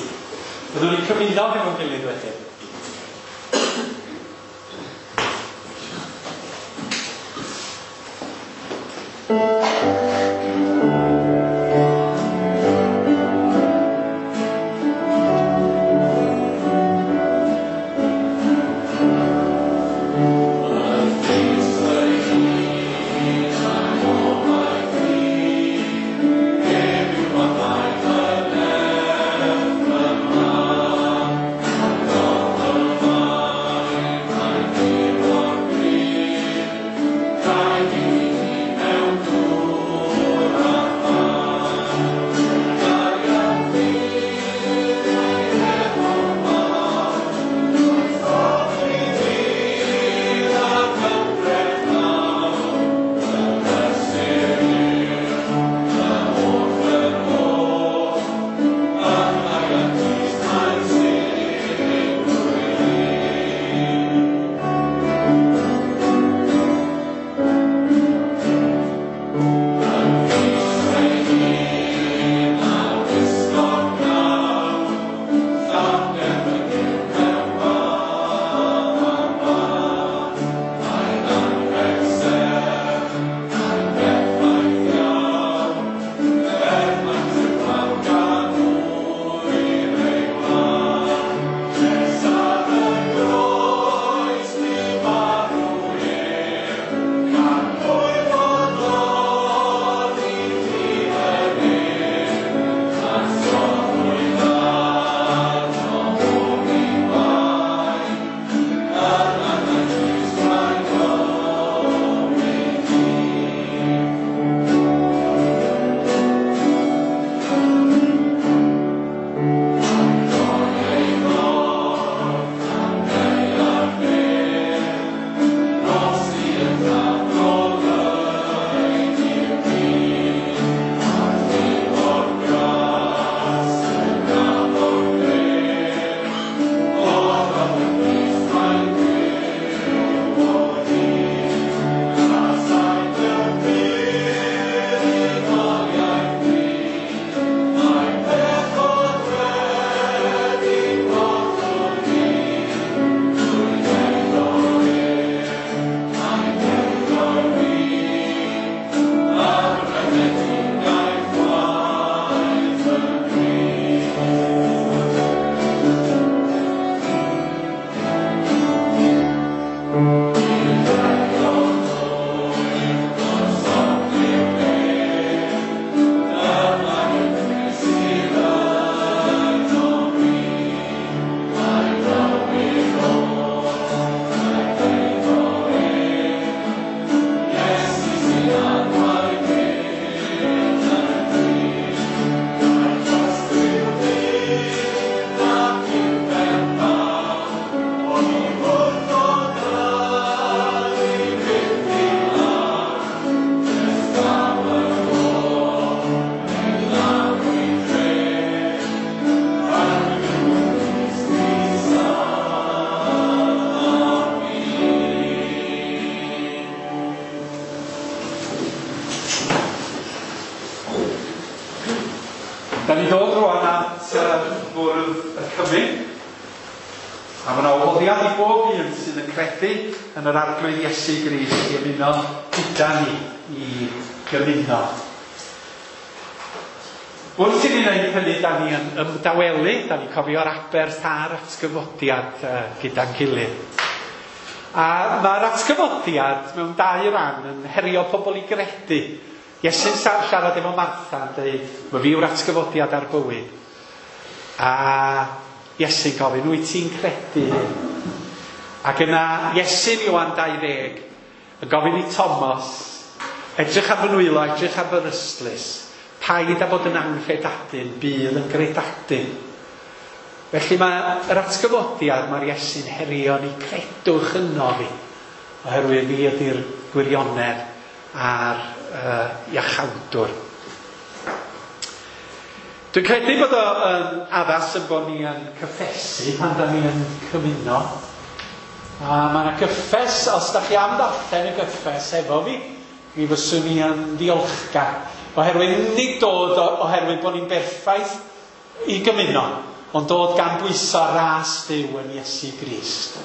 Byddwn ni'n cymuno hefo'n gilydd wedyn. Thank you. Da ni dod rwan at fwrdd y cymun. A mae yna wahoddiad i bob un sydd yn credu yn yr Arglwydd Iesu Grist i ymuno gyda ni i gymuno. Wrth i ni wneud hynny, da ni yn ymdawelu, da ni'n cofio'r aberth a'r atgyfodiad gyda'n gilydd. A mae'r atgyfodiad mewn dau ran yn herio pobl i gredu. Iesu'n siarad efo Martha yn dweud, "Mae fi yw'r atgyfodiad a'r bywyd." A Iesu'n gofyn, "Wyt ti'n credu hyn?" Ac yna Iesu'n Ioan 20 yn gofyn i Thomas, "Edrych ar fy nwylo, edrych ar fy ystlys. Paid â bod yn anghredadun, bydd yn gredadun." Felly mae yr atgyfodiad, mae'r Iesu'n herio ni, credwch yno fi, oherwydd fi ydy'r gwirionedd a'r iachawdwr. Dwi'n credu bod o yn addas yn bod ni yn cyffesu pan da ni yn cymuno. A mae yna gyffes, os da chi am ddarllen y gyffes efo fi, mi fyswn i yn ddiolchgar. Oherwydd nid dod oherwydd bod ni'n berffaith i gymuno, ond dod gan bwyso ras Duw yn Iesu Grist.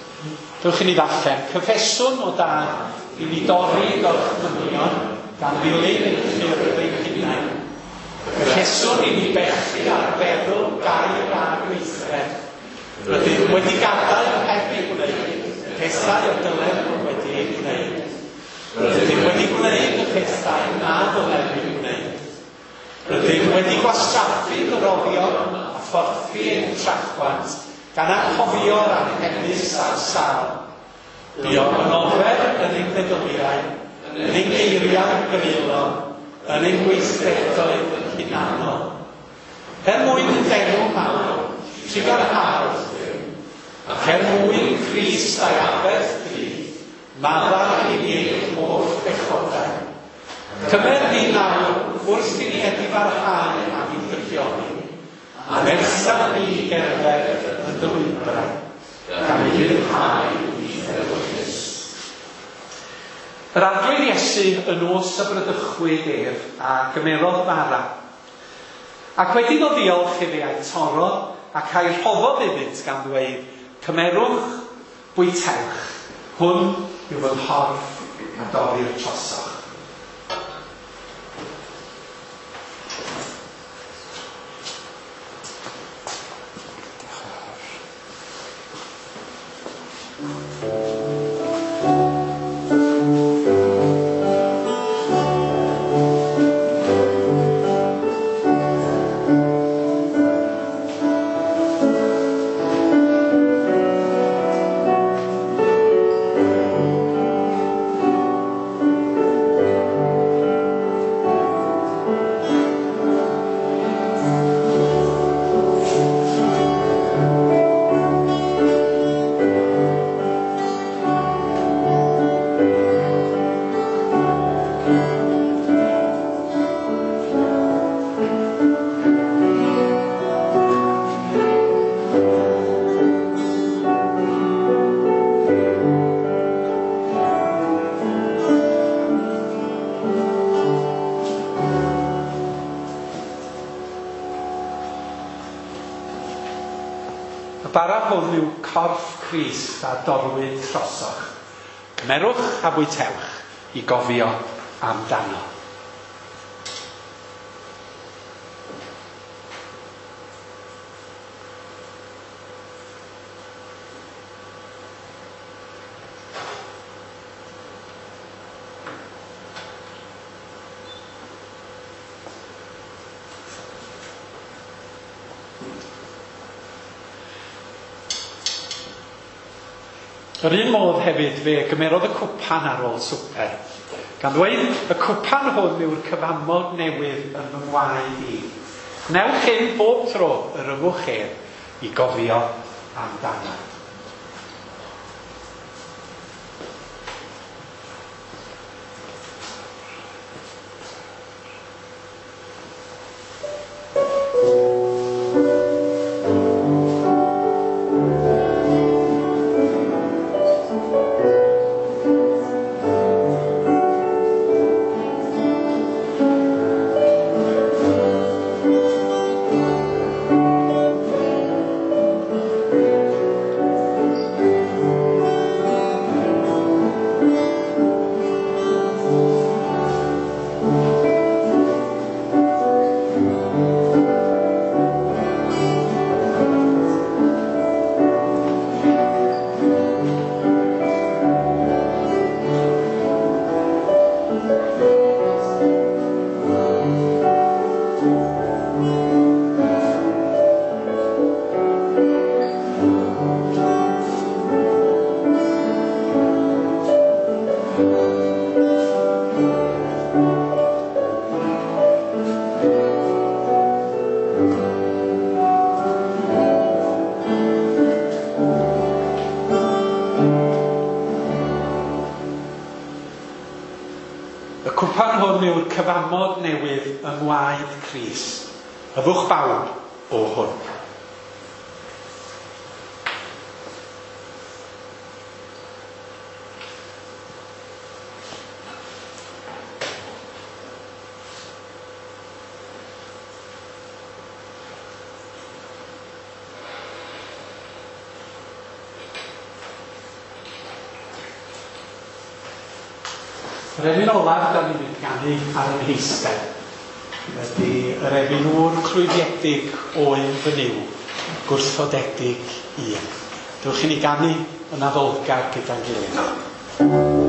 Dewch i ni ddarllen. Cyffeswn o dad i ni dorri gorchmynion gan ddilyn ein ffyrdd ein hunain. Cyffeswn i ni bechu ar feddwl, gair a gweithred. Rydym wedi gadael heb ei gwneud pethau y dylem fod wedi ei gwneud. Rydym wedi gwneud y pethau na ddylem ei gwneud. Rydym wedi gwastraffu dyroddion a phorthi ein trachwant gan anghofio'r anghennus a'r sâl. Buom yn ofer yn ein meddyliau, yn ein geiriau greulon, yn ein gweithredoedd hunanol. Er mwyn d'enw mawr, trugarhaodd Duw, ac er mwyn Crist a'i aberth drud, maddau i ni ein holl bechodau. Cymer ni nawr wrth i ni edifarhau am ein drygioni, a nertha ni i gerdded yn dy lwybrau, gan ufuddhau i'th ewyllys. Yr Arglwydd Iesu y nos y bradychwyd ef a gymerodd bara. Ac wedi iddo ddiolch efe a'i torrodd ac a'i rhoddodd iddynt gan ddweud, "Cymerwch, bwytewch, hwn yw fy nghorff a dorrir trosoch." Y bara hwn yw corff Crist a dorrwyd trosoch. Cymerwch a bwytewch i gofio amdano. Yr un modd hefyd fe gymerodd y cwpan ar ôl swper, gan ddweud, "Y cwpan hwn yw'r cyfamod newydd yn fy ngwaed i. Gwnewch hyn bob tro yr yfwch ef i gofio amdano." Y cwpan hwn yw'r cyfamod newydd yng ngwaed Crist. Yfwch bawb o hwn. Yr emyn olaf da ni'n mynd ganu ar yn heistedd ydy yr emyn ŵr clwyfiedig oen fy Nuw, gwrthodedig un. Dewch i ni ganu yn addolgar gyda'n gilydd.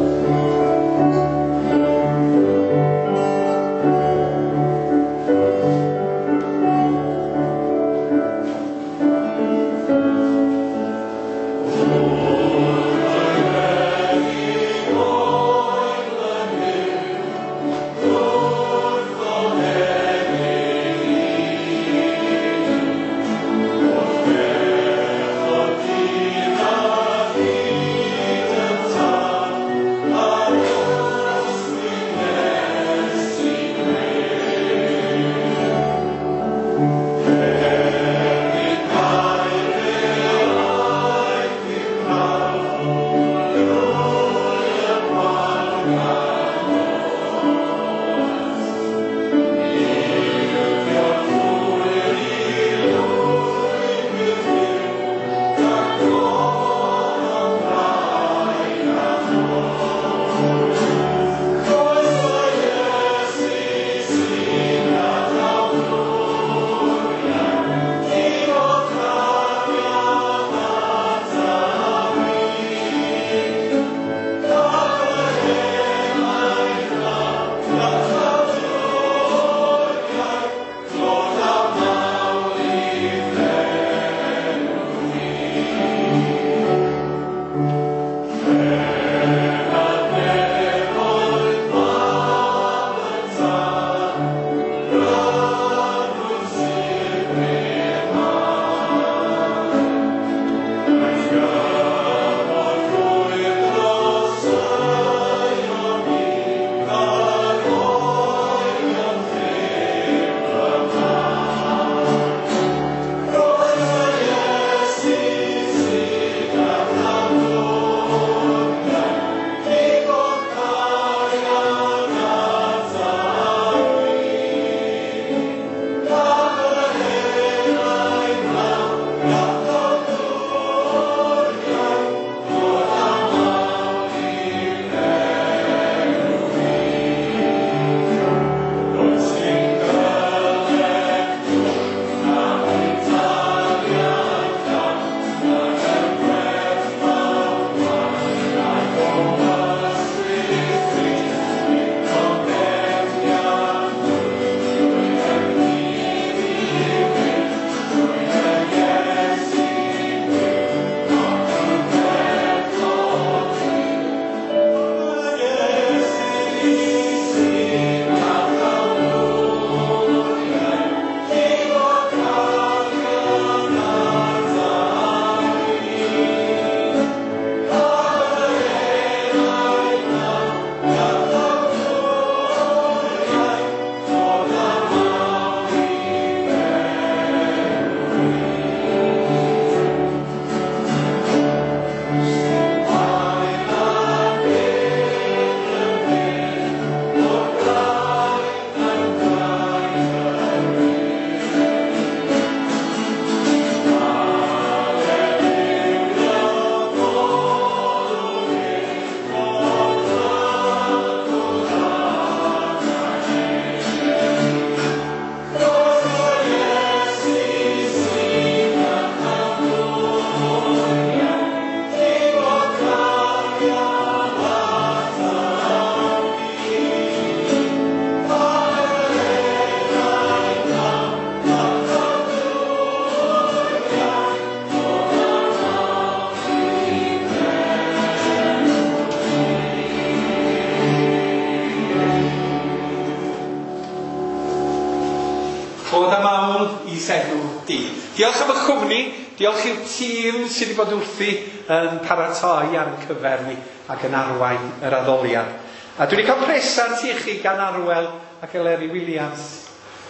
Diolch am y cwmni, diolch i'r tîm sydd wedi bod wrthi yn paratoi ar ein cyfer ni ac yn arwain yr addoliad. A dwi wedi cael presant i chi gan Arwel ac Eleri Williams.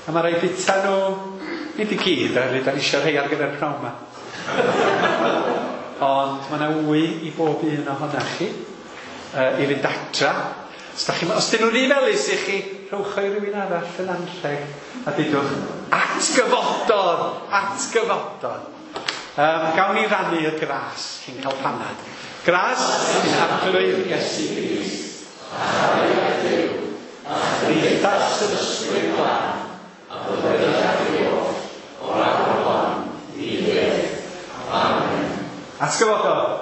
A mae rhaid bita nhw, nid i gyd, oherwydd da ni eisiau rhai ar gyfer pnawn yma. Ond mae yna wy i bob un ohonoch chi i fynd adra. Os, da chi, os dyn nhw'n rhy felys i chi, rhowch o i rywun arall yn anrheg a dudwch, atgyfododd, atgyfododd. Gawn ni rannu y gras cyn cael panad. Gras sy'n Arglwydd Iesu Grist. A chariad Duw, a chymdeithas yr Ysbryd Glân, a bydded â chi oll, o'r awr hon, i byth. Amen. Atgyfododd.